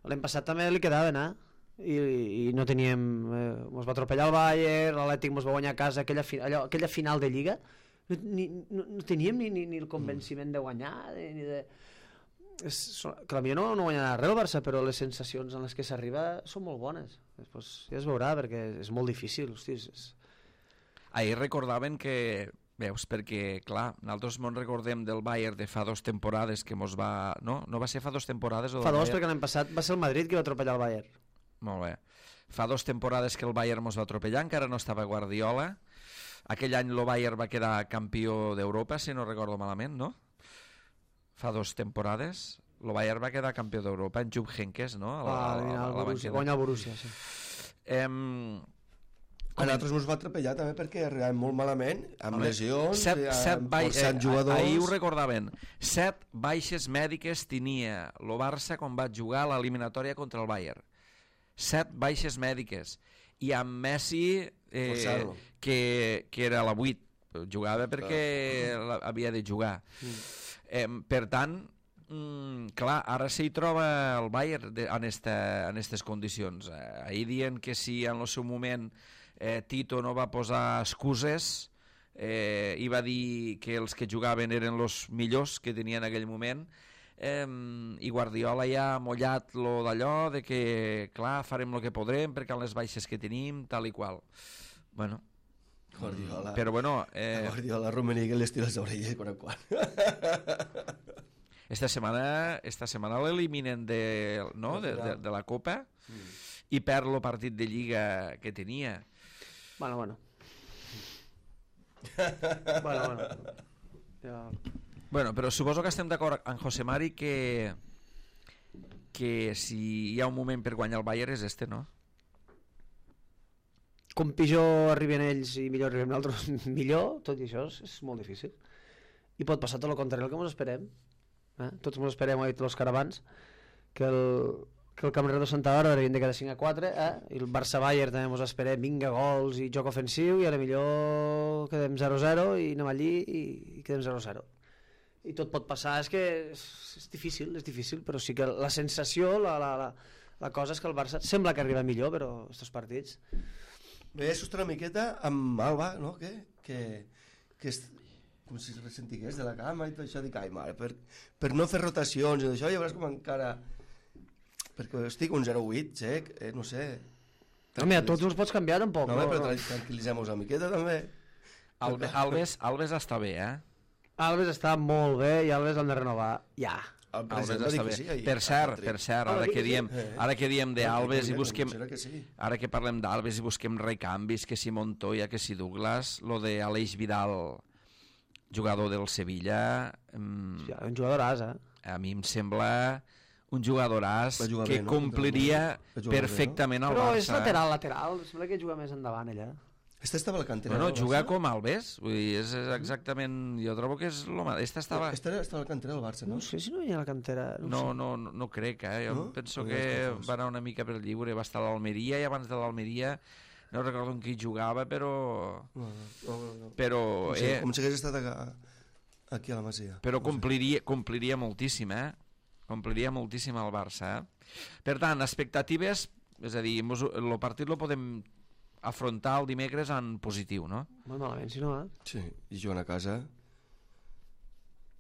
[SPEAKER 4] L'any passat també li quedaven, eh? I, i no teníem... Eh, mos va atropellar el Bayern, l'Atlètic mos va guanyar a casa, aquella, fi, allò, aquella final de Lliga, no, ni, no, no teníem ni, ni, ni el convenciment de guanyar, ni de... És, que potser no, no guanyarà res el Barça, però les sensacions en les que s'arriba són molt bones. Després ja es veurà, perquè és molt difícil, hosti, és, és...
[SPEAKER 1] Ahir recordaven que, veus, perquè, clar, nosaltres mos recordem del Bayern de fa dos temporades que mos va... No? No va ser fa dos temporades? O
[SPEAKER 4] Fa
[SPEAKER 1] del
[SPEAKER 4] dos,
[SPEAKER 1] Bayern?
[SPEAKER 4] perquè l'any passat va ser el Madrid que va atropellar el Bayern.
[SPEAKER 1] Molt bé. Fa dos temporades que el Bayern mos va atropellar, encara no estava Guardiola. aquell any el Bayern va quedar campió d'Europa, si no recordo malament, no? Fa dos temporades el Bayern va quedar campió d'Europa en Jupp Heynckes, no? A la,
[SPEAKER 4] Va
[SPEAKER 1] a la,
[SPEAKER 4] eliminar
[SPEAKER 1] a
[SPEAKER 4] el
[SPEAKER 1] la
[SPEAKER 4] Borussia,
[SPEAKER 1] banqueta.
[SPEAKER 4] guanya el Borussia, sí.
[SPEAKER 1] Em,
[SPEAKER 5] A nosaltres ens va atropellar també perquè arribàvem molt malament, amb
[SPEAKER 1] Home,
[SPEAKER 5] lesions,
[SPEAKER 1] set,
[SPEAKER 5] eh,
[SPEAKER 1] set
[SPEAKER 5] amb
[SPEAKER 1] bai-
[SPEAKER 5] forçant
[SPEAKER 1] eh,
[SPEAKER 5] jugadors...
[SPEAKER 1] ahir ho recordaven, set baixes mèdiques tenia el Barça quan va jugar a l'eliminatòria contra el Bayern. Set baixes mèdiques. I amb Messi, eh,
[SPEAKER 5] Forçant-lo.
[SPEAKER 1] que, que era a la vuit, jugava perquè la- havia de jugar. Eh, per tant, mm, clar, ara s'hi troba el Bayern de, en aquestes condicions. Eh, ahir dient que si en el seu moment eh, Tito no va posar excuses eh, i va dir que els que jugaven eren els millors que tenia en aquell moment, eh, i Guardiola ja ha mollat lo d'allò de que, clar, farem el que podrem perquè amb les baixes que tenim, tal i qual. Bueno,
[SPEAKER 5] Guardiola.
[SPEAKER 1] però bueno... Eh,
[SPEAKER 5] Guardiola, Rummenigge, li estira les orelles quan en quan.
[SPEAKER 1] esta setmana, esta setmana l'eliminen de, no? de, de, de la Copa mm. i perd el partit de Lliga que tenia.
[SPEAKER 4] Bueno, bueno. bueno, bueno. Ja...
[SPEAKER 1] Bueno, però suposo que estem d'acord amb José Mari que que si hi ha un moment per guanyar el Bayern és este, no?
[SPEAKER 4] Com pitjor arriben ells i millor arribem nosaltres, millor, tot i això és, és molt difícil. I pot passar tot el contrari, el que ens esperem. Eh? Tots ens esperem, ho ha dit els caravans, que el, que el Camerata de Santa Bàrbara havien de quedar cinc a quatre, eh? I el Barça-Bayern també ens esperem, vinga, gols i joc ofensiu, i ara millor quedem zero zero i anem allí i, i quedem zero zero. I tot pot passar, és que és, és difícil, és difícil, però sí que la sensació, la, la, la, la cosa és que el Barça sembla que arriba millor, però aquests partits...
[SPEAKER 5] M'he assustat una miqueta amb Alba, no? Que, que, que és, com si es ressentigués de la cama i tot això, dic, ai mare, per, per no fer rotacions i d'això, ja veuràs com encara... Perquè estic un zero vuit, sec, eh, no sé...
[SPEAKER 4] Home, a tots els pots canviar un poc.
[SPEAKER 5] No,
[SPEAKER 4] No,
[SPEAKER 5] però
[SPEAKER 4] no.
[SPEAKER 5] tranquil·litzem-nos una miqueta també.
[SPEAKER 1] Albe, Alves, Alves està bé, eh?
[SPEAKER 4] Alves està molt bé i Alves l'han de renovar ja.
[SPEAKER 5] El
[SPEAKER 1] Alves
[SPEAKER 5] president va dir
[SPEAKER 1] està
[SPEAKER 5] que
[SPEAKER 1] bé.
[SPEAKER 5] sí, ahir,
[SPEAKER 1] Per
[SPEAKER 5] a
[SPEAKER 1] cert,
[SPEAKER 5] Madrid.
[SPEAKER 1] per cert,
[SPEAKER 4] Ah,
[SPEAKER 1] ara
[SPEAKER 4] va dir
[SPEAKER 1] que
[SPEAKER 4] que sí?
[SPEAKER 1] diem,
[SPEAKER 5] Eh.
[SPEAKER 1] ara que diem d'Alves i
[SPEAKER 5] Conec,
[SPEAKER 1] busquem...
[SPEAKER 5] serà que sí.
[SPEAKER 1] Ara que parlem d'Alves i busquem recanvis, que si Montoya, que si Douglas, lo de Aleix Vidal, jugador del Sevilla, mm,
[SPEAKER 4] Ja, un jugadoràs, eh?
[SPEAKER 1] a mi em sembla un jugadoràs
[SPEAKER 5] Va jugar
[SPEAKER 1] que
[SPEAKER 5] bé, no?
[SPEAKER 1] compliria
[SPEAKER 5] Va jugar bé, no?
[SPEAKER 1] perfectament al
[SPEAKER 4] Però
[SPEAKER 1] Barça.
[SPEAKER 4] és lateral, lateral. Sembla que juga més endavant, ella.
[SPEAKER 5] Este estava a la cantera.
[SPEAKER 1] Bueno,
[SPEAKER 5] del
[SPEAKER 1] jugar
[SPEAKER 5] Barça?
[SPEAKER 1] com Alves, vull dir, és és exactament... Jo trobo que és el mateix. Este estava...
[SPEAKER 5] Este era- estava a la cantera del Barça, no?
[SPEAKER 4] No sé si no hi ha la cantera. No,
[SPEAKER 1] No,
[SPEAKER 4] sé.
[SPEAKER 1] no, no, no crec, eh? Jo
[SPEAKER 5] No?
[SPEAKER 1] penso
[SPEAKER 5] No,
[SPEAKER 1] que
[SPEAKER 5] ja és confós.
[SPEAKER 1] va anar una mica per lliure, va estar a l'Almeria i abans de l'Almeria no recordo en qui jugava, però...
[SPEAKER 5] No, no, no, no.
[SPEAKER 1] Però,
[SPEAKER 5] Com, si,
[SPEAKER 1] eh,
[SPEAKER 5] com si hagués estat a, aquí a la Masia.
[SPEAKER 1] però compliria, compliria moltíssim, eh? Compliria moltíssim el Barça, eh? Per tant, expectatives, és a dir, mos- el partit lo podem afrontar el dimecres en positiu, no?
[SPEAKER 4] Molt malament, si no, eh?
[SPEAKER 5] Sí, i jugant a casa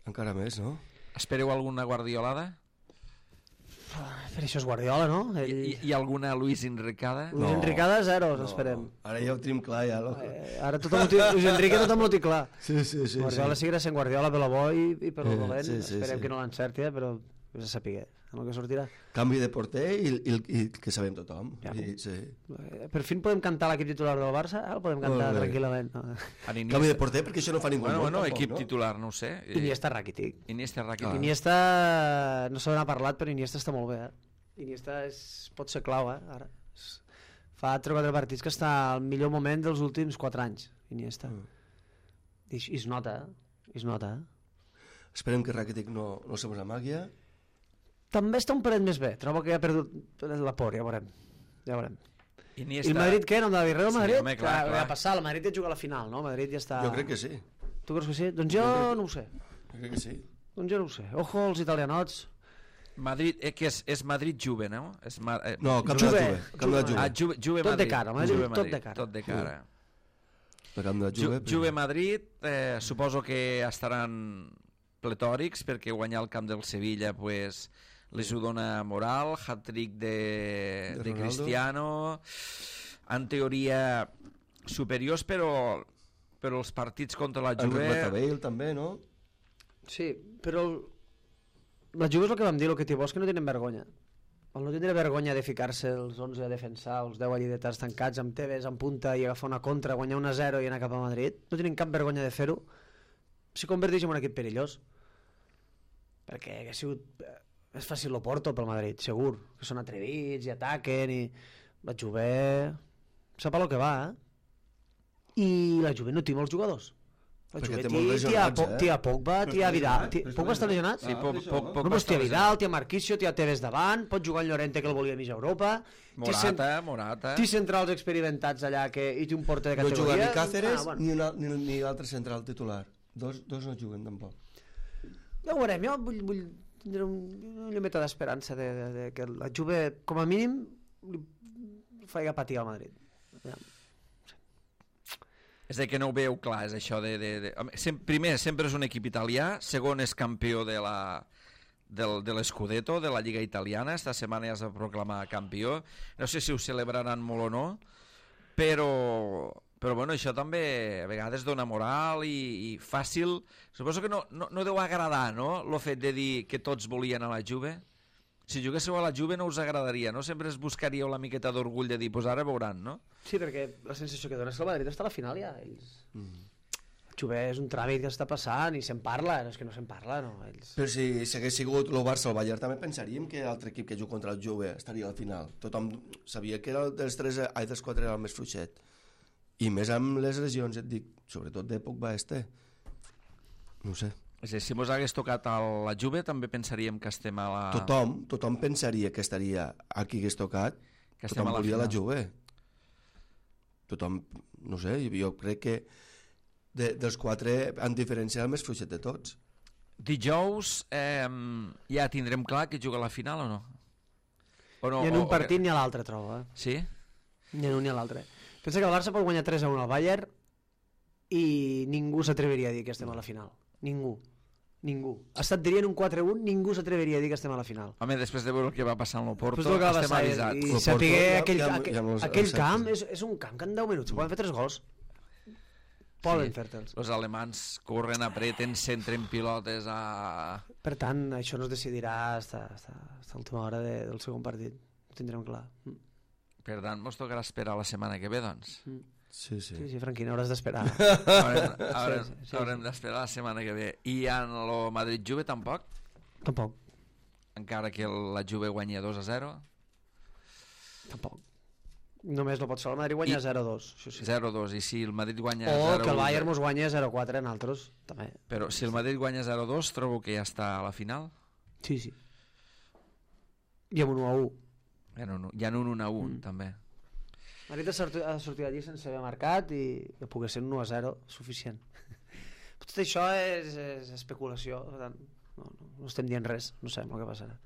[SPEAKER 5] encara més, no?
[SPEAKER 1] Espereu alguna guardiolada?
[SPEAKER 4] Per això és Guardiola, no? Ell...
[SPEAKER 1] I, i, i alguna Luis Enricada?
[SPEAKER 4] Luis
[SPEAKER 5] No.
[SPEAKER 4] Enricada, zero, no. Esperem.
[SPEAKER 5] Ara ja ho tenim clar, ja. Lo...
[SPEAKER 4] Eh, ara tothom ho té... Luis Enrique tothom ho té clar.
[SPEAKER 5] Sí, sí, sí.
[SPEAKER 4] Guardiola
[SPEAKER 5] sí.
[SPEAKER 4] seguirà sent Guardiola per lo bo i, i per lo
[SPEAKER 5] Eh,
[SPEAKER 4] dolent.
[SPEAKER 5] sí, sí,
[SPEAKER 4] Esperem
[SPEAKER 5] sí.
[SPEAKER 4] que no l'encerti, eh, però vés a saber en el que sortirà.
[SPEAKER 5] Canvi de porter i, i, i que sabem tothom.
[SPEAKER 4] Ja.
[SPEAKER 5] I, sí.
[SPEAKER 4] Eh, Per fin podem cantar l'equip titular del Barça? Ah, el podem cantar
[SPEAKER 5] Molt bé.
[SPEAKER 4] tranquil·lament. No?
[SPEAKER 1] En
[SPEAKER 5] Canvi de
[SPEAKER 1] Iniesta,
[SPEAKER 5] porter perquè això no fa ningú.
[SPEAKER 1] bueno,
[SPEAKER 5] molt,
[SPEAKER 1] bueno,
[SPEAKER 5] tampoc,
[SPEAKER 1] equip
[SPEAKER 5] no?
[SPEAKER 1] titular, no ho sé. Eh,
[SPEAKER 4] Iniesta Rakitic.
[SPEAKER 1] Iniesta Rakitic.
[SPEAKER 5] Ah.
[SPEAKER 4] Iniesta, no se n'ha parlat, però Iniesta està molt bé, eh? Iniesta és, pot ser clau, eh? Ara. És- Fa tres o quatre partits que està al millor moment dels últims quatre anys, Iniesta.
[SPEAKER 5] Mm.
[SPEAKER 4] I, I es nota, eh? I es nota, eh?
[SPEAKER 5] Esperem que Rakitic no, no se la màgia.
[SPEAKER 4] També està un parell més bé. Trobo que ha perdut la por, ja veurem. Ja veurem.
[SPEAKER 1] Iniesta...
[SPEAKER 4] I el Madrid què? No de la
[SPEAKER 1] Sí,
[SPEAKER 4] Madrid?
[SPEAKER 1] home, clar, clar.
[SPEAKER 4] Va passar, el Madrid ja juga a la final, no? El Madrid ja està...
[SPEAKER 5] Jo crec que sí.
[SPEAKER 4] Tu creus que sí? Doncs jo no ho sé.
[SPEAKER 5] Jo crec que sí.
[SPEAKER 4] Doncs jo no ho sé. Ojo als italianots.
[SPEAKER 1] Madrid, eh, que és, és Madrid-Juve, no? És ma, eh,
[SPEAKER 5] No, Camp de
[SPEAKER 4] Juve,
[SPEAKER 5] la Juve. Camp de la
[SPEAKER 4] Juve.
[SPEAKER 1] Ah,
[SPEAKER 5] Juve.
[SPEAKER 1] Juve, Juve
[SPEAKER 4] Tot de
[SPEAKER 1] Madrid.
[SPEAKER 4] cara, Madrid,
[SPEAKER 1] Juve
[SPEAKER 4] tot
[SPEAKER 1] Madrid,
[SPEAKER 4] de cara.
[SPEAKER 1] Tot de cara.
[SPEAKER 5] El Camp de la
[SPEAKER 1] Ju,
[SPEAKER 5] Juve.
[SPEAKER 1] Juve Madrid, eh, suposo que estaran pletòrics perquè guanyar el camp del Sevilla pues, les ho dona moral, hat-trick de,
[SPEAKER 5] De
[SPEAKER 1] de
[SPEAKER 5] Ronaldo.
[SPEAKER 1] Cristiano, en teoria superiors, però, però els partits contra la
[SPEAKER 5] Juve...
[SPEAKER 1] Juve...
[SPEAKER 5] Enric Bale també, no?
[SPEAKER 4] Sí, però el... la Juve és el que vam dir, el que té bo és que no tenen vergonya. el no tindre vergonya de ficar-se els onze a defensar, els deu allí detrás tancats amb Tevez en punta i agafar una contra, guanyar un a zero i anar cap a Madrid, no tenen cap vergonya de fer-ho, s'hi converteix en un equip perillós, perquè ha sigut és fàcil l'Oporto pel Madrid, segur, que són atrevits i ataquen i la Juve sap a lo que va, eh? I la Juve no té molts jugadors. La Juve tia Pogba, tia Vidal. Pogba està lesionat?
[SPEAKER 1] Sí, Pogba
[SPEAKER 4] no, tia Vidal, tia Marquisio, tia Tevez davant, pot jugar en Llorente que el volia mig a Europa.
[SPEAKER 1] Morata, Morata.
[SPEAKER 4] Té centrals experimentats allà que i té un porter de categoria.
[SPEAKER 5] No juga ni Cáceres ni, una, ni, ni l'altre central titular. Dos, dos no juguen tampoc.
[SPEAKER 4] Ja ho veurem, jo vull, vull tindre un, una llumeta d'esperança de, de, de que la Juve, com a mínim, li faig patir al Madrid. Ja.
[SPEAKER 1] És que no ho veu clar, és això de... de, de... Sem primer, sempre és un equip italià, segon és campió de la del, de l'Scudetto, de la Lliga Italiana, esta setmana ja es va proclamar campió, no sé si ho celebraran molt o no, però, però bueno, això també a vegades dona moral i, i fàcil, suposo que no, no, no deu agradar, no?, el fet de dir que tots volien a la Juve. Si juguéssiu a la Juve no us agradaria, no? Sempre es buscaríeu la miqueta d'orgull de dir, pues ara veuran, no?
[SPEAKER 4] Sí, perquè la sensació que dona és que el Madrid està a la final ja. Ells... Mm. La Juve és un tràmit que està passant i se'n parla, no és que no se'n parla, no? Ells...
[SPEAKER 5] Però si, si hagués sigut el Barça o el Bayern també pensaríem que l'altre equip que juga contra el Juve estaria al final. Tothom sabia que era dels tres, ai, dels quatre era el més fluixet. I més amb les lesions, et dic, sobretot de Pogba este. No sé.
[SPEAKER 1] És a dir, si mos hagués tocat a la Juve també pensaríem que estem a la...
[SPEAKER 5] Tothom, tothom pensaria que estaria a qui hagués tocat, que tothom la volia final. La Juve. Tothom, no sé, jo crec que de, dels quatre, en diferència, el més fluixet de tots.
[SPEAKER 1] Dijous eh, ja tindrem clar que juga a la final o no?
[SPEAKER 4] O no, ni en un o, partit o... ni a l'altre, trobo. Eh?
[SPEAKER 1] Sí?
[SPEAKER 4] Ni en un ni a l'altre. Pensa que el Barça pot guanyar tres a un al Bayern i ningú s'atreveria a dir que estem a la final. Ningú. Ningú. Ha estat dirien un quatre a un, ningú s'atreveria a dir que estem a la final.
[SPEAKER 1] Home, després de veure el que va passar en l'Oporto,
[SPEAKER 4] estem
[SPEAKER 1] passar, avisats.
[SPEAKER 4] I saber aquell, ja, aquell, ja aquell camp és, és un camp que en deu minuts poden fer tres gols. Poden sí, fer-te'ls.
[SPEAKER 1] Els alemans corren, apreten, centren pilotes a...
[SPEAKER 4] Per tant, això no es decidirà fins a l'última hora de, del segon partit. Ho tindrem clar. Mm.
[SPEAKER 1] Per tant, mos tocarà esperar la setmana que ve, doncs.
[SPEAKER 4] Mm.
[SPEAKER 5] Sí, sí.
[SPEAKER 4] Sí, sí, Franquina, hauràs d'esperar.
[SPEAKER 1] haurem haurem, sí, sí, haurem sí. d'esperar la setmana que ve. I en el Madrid-Juve tampoc?
[SPEAKER 4] Tampoc.
[SPEAKER 1] Encara que la Juve guanya dos a zero?
[SPEAKER 4] Tampoc. Només no pot ser el Madrid guanya zero a dos. Sí.
[SPEAKER 1] zero a dos, i si el Madrid guanya
[SPEAKER 4] o
[SPEAKER 1] zero a un...
[SPEAKER 4] O que el Bayern mos guanya zero a quatre en altres, també.
[SPEAKER 1] Però si el Madrid guanya zero a dos, trobo que ja està a la final?
[SPEAKER 4] Sí, sí. I amb un u a u.
[SPEAKER 1] Hi ha un, hi ha un un a un, mm. també.
[SPEAKER 4] Madrid ha sortit, ha sortit allí sense haver marcat i que pugui ser un u a zero suficient. Tot això és, és especulació, per tant, no, no, no estem dient res, no sabem el que passarà.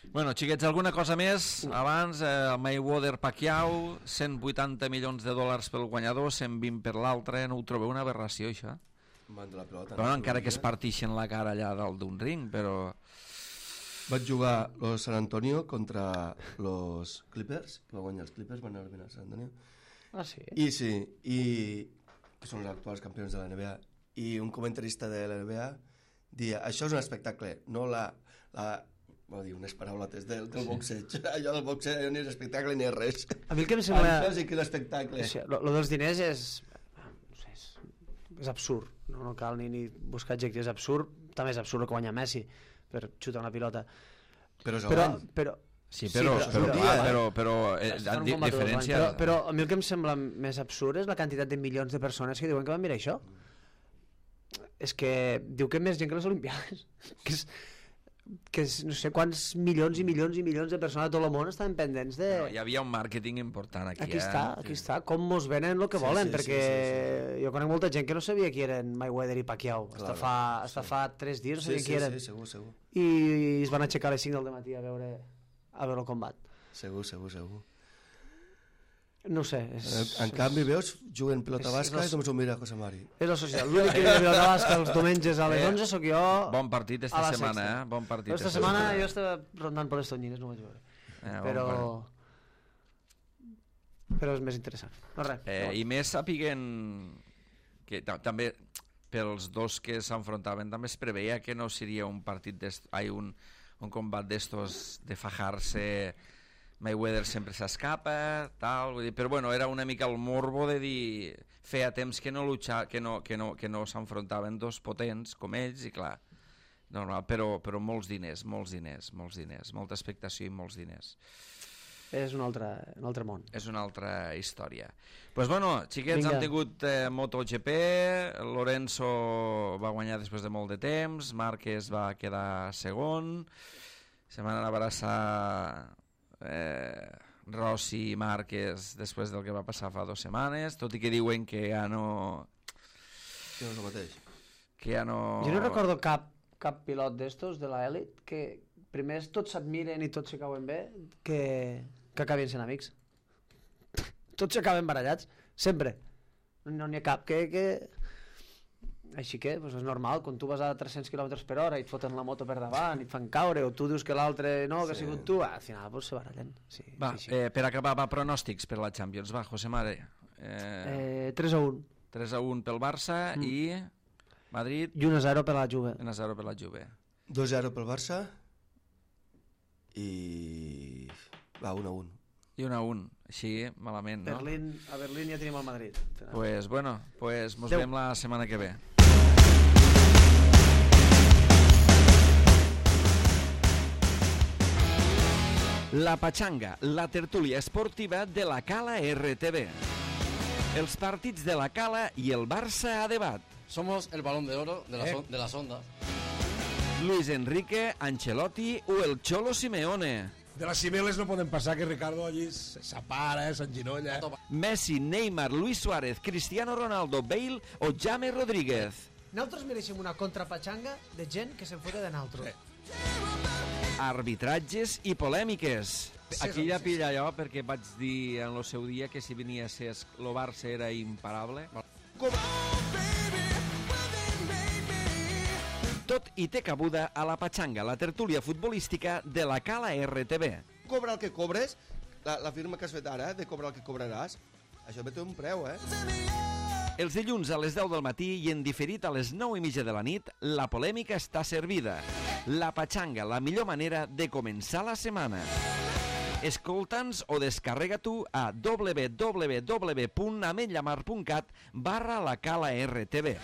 [SPEAKER 1] Bueno, xiquets, alguna cosa més? Abans, eh, el Mayweather Pacquiao, cent vuitanta milions de dòlars pel guanyador, cent vint per l'altre, no ho trobeu una aberració, això?
[SPEAKER 5] La pelota,
[SPEAKER 1] però, no, encara que es partixen la cara allà dalt d'un ring, però...
[SPEAKER 5] Vaig jugar los San Antonio contra los Clippers, que va guanyar els Clippers, van anar a San Antonio.
[SPEAKER 4] Ah, sí?
[SPEAKER 5] I sí, i que són els actuals campions de la N B A, i un comentarista de la N B A dia, això és un espectacle, no la... la va dir unes paraulotes del, del sí. boxeig. Allò del boxeig no és espectacle ni és res.
[SPEAKER 4] A mi el que em sembla...
[SPEAKER 5] Això sí que l'espectacle.
[SPEAKER 4] Sí, lo, lo dels diners és... No sé, és, és absurd. No, no cal ni, ni buscar adjectius. És absurd. També és absurd que guanya Messi per xutar una pilota.
[SPEAKER 5] Però és
[SPEAKER 4] però, però,
[SPEAKER 1] sí, però, sí, però, però, però, però, però eh, di, diferència...
[SPEAKER 4] Però, però a mi el que em sembla més absurd és la quantitat de milions de persones que diuen que van mirar això. És que diu que més gent que les Olimpiades. Que és... que no sé quants milions i milions i milions de persones de tot el món estaven pendents de...
[SPEAKER 1] No, hi havia un màrqueting important aquí.
[SPEAKER 4] Aquí
[SPEAKER 1] eh?
[SPEAKER 4] està, aquí sí. està, com mos venen el que sí, volen, sí, perquè sí, sí, sí. jo conec molta gent que no sabia qui eren Mayweather i Pacquiao, claro, hasta, fa, hasta sí. fa tres dies no sabien
[SPEAKER 5] sí,
[SPEAKER 4] qui
[SPEAKER 5] sí,
[SPEAKER 4] eren.
[SPEAKER 5] Sí, segur, segur.
[SPEAKER 4] I es van aixecar a les cinc del matí a veure, a veure el combat.
[SPEAKER 5] Segur, segur, segur.
[SPEAKER 4] No sé. És,
[SPEAKER 5] en, en canvi, veus, juguen pelota basca i només ho mira José Mari.
[SPEAKER 4] És la societat. L'únic que mira pelota basca els diumenges a les onze soc jo...
[SPEAKER 1] Bon partit esta setmana, eh? Bon partit.
[SPEAKER 4] Esta setmana jo estava rondant per les tonyines, no ho vaig veure. Eh, però... però és més interessant. No res.
[SPEAKER 1] Eh, I més sàpiguen que també pels dos que s'enfrontaven també es preveia que no seria un partit... Ai, un... un combat d'estos de fajar-se, Mayweather sempre s'escapa, tal, vull dir, però bueno, era una mica el morbo de dir, feia temps que no lucha, que no, que no, que no s'enfrontaven dos potents com ells, i clar, normal, però, però molts diners, molts diners, molts diners, molta expectació i molts diners.
[SPEAKER 4] És un altre, un altre món.
[SPEAKER 1] És una altra història. Doncs pues bueno, xiquets,
[SPEAKER 4] Vinga.
[SPEAKER 1] han tingut eh, MotoGP, Lorenzo va guanyar després de molt de temps, Márquez va quedar segon, se van abraçar eh, Rossi i Márquez després del que va passar fa dues setmanes, tot i que diuen que ja no...
[SPEAKER 5] Que no és el mateix.
[SPEAKER 1] Que ja no...
[SPEAKER 4] Jo no recordo cap, cap pilot d'estos de l'elit que primer tots s'admiren i tots se cauen bé que, que acabin sent amics. Tots s'acaben barallats, sempre. No n'hi ha cap que... que... Així que pues és normal, quan tu vas a tres-cents quilòmetres per hora i et foten la moto per davant i et fan caure, o tu dius que l'altre no, que sí. ha sigut tu, al final pues, se barallen. Sí,
[SPEAKER 1] va,
[SPEAKER 4] sí, sí.
[SPEAKER 1] Eh, per acabar, va, pronòstics per la Champions. Va, José Mare. Eh,
[SPEAKER 4] Eh, tres a un.
[SPEAKER 1] tres a un pel Barça mm. i Madrid
[SPEAKER 4] I un a zero per la Juve.
[SPEAKER 1] un a zero per la Juve.
[SPEAKER 5] dos a zero pel Barça i... va, un a un.
[SPEAKER 1] I un a un, així malament, no?
[SPEAKER 4] Berlín, a Berlín ja tenim el Madrid.
[SPEAKER 1] Pues bueno, pues mos
[SPEAKER 4] Adeu.
[SPEAKER 1] veiem la setmana que ve. La Pachanga, la tertúlia esportiva de la Cala R T V. Els partits de la Cala i el Barça a debat.
[SPEAKER 2] Somos el balón de oro de, la
[SPEAKER 3] Eh.
[SPEAKER 2] son- de las ondas.
[SPEAKER 1] Luis Enrique, Ancelotti o el Cholo Simeone.
[SPEAKER 3] De les cimeles no poden passar que Ricardo allí s'apara, s'enginolla.
[SPEAKER 1] Messi, Neymar, Luis Suárez, Cristiano Ronaldo, Bale o James Rodríguez.
[SPEAKER 6] Nosaltres mereixem una contrapatxanga de gent que se'n fota de nosaltres.
[SPEAKER 1] Arbitratges i polèmiques. Aquí ja pilla allò perquè vaig dir en el seu dia que si venia Cesc, el Barça era imparable. Tot i té cabuda a la Pachanga, la tertúlia futbolística de la Cala R T V.
[SPEAKER 5] Cobra el que cobres, la, la firma que has fet ara, de cobrar el que cobraràs, això ve té un preu, eh?
[SPEAKER 1] Els dilluns a les deu del matí i en diferit a les nou i mitja de la nit, la polèmica està servida. La Pachanga, la millor manera de començar la setmana. Escolta'ns o descarrega tu a w w w punt ametllamar punt cat barra la Cala R T V.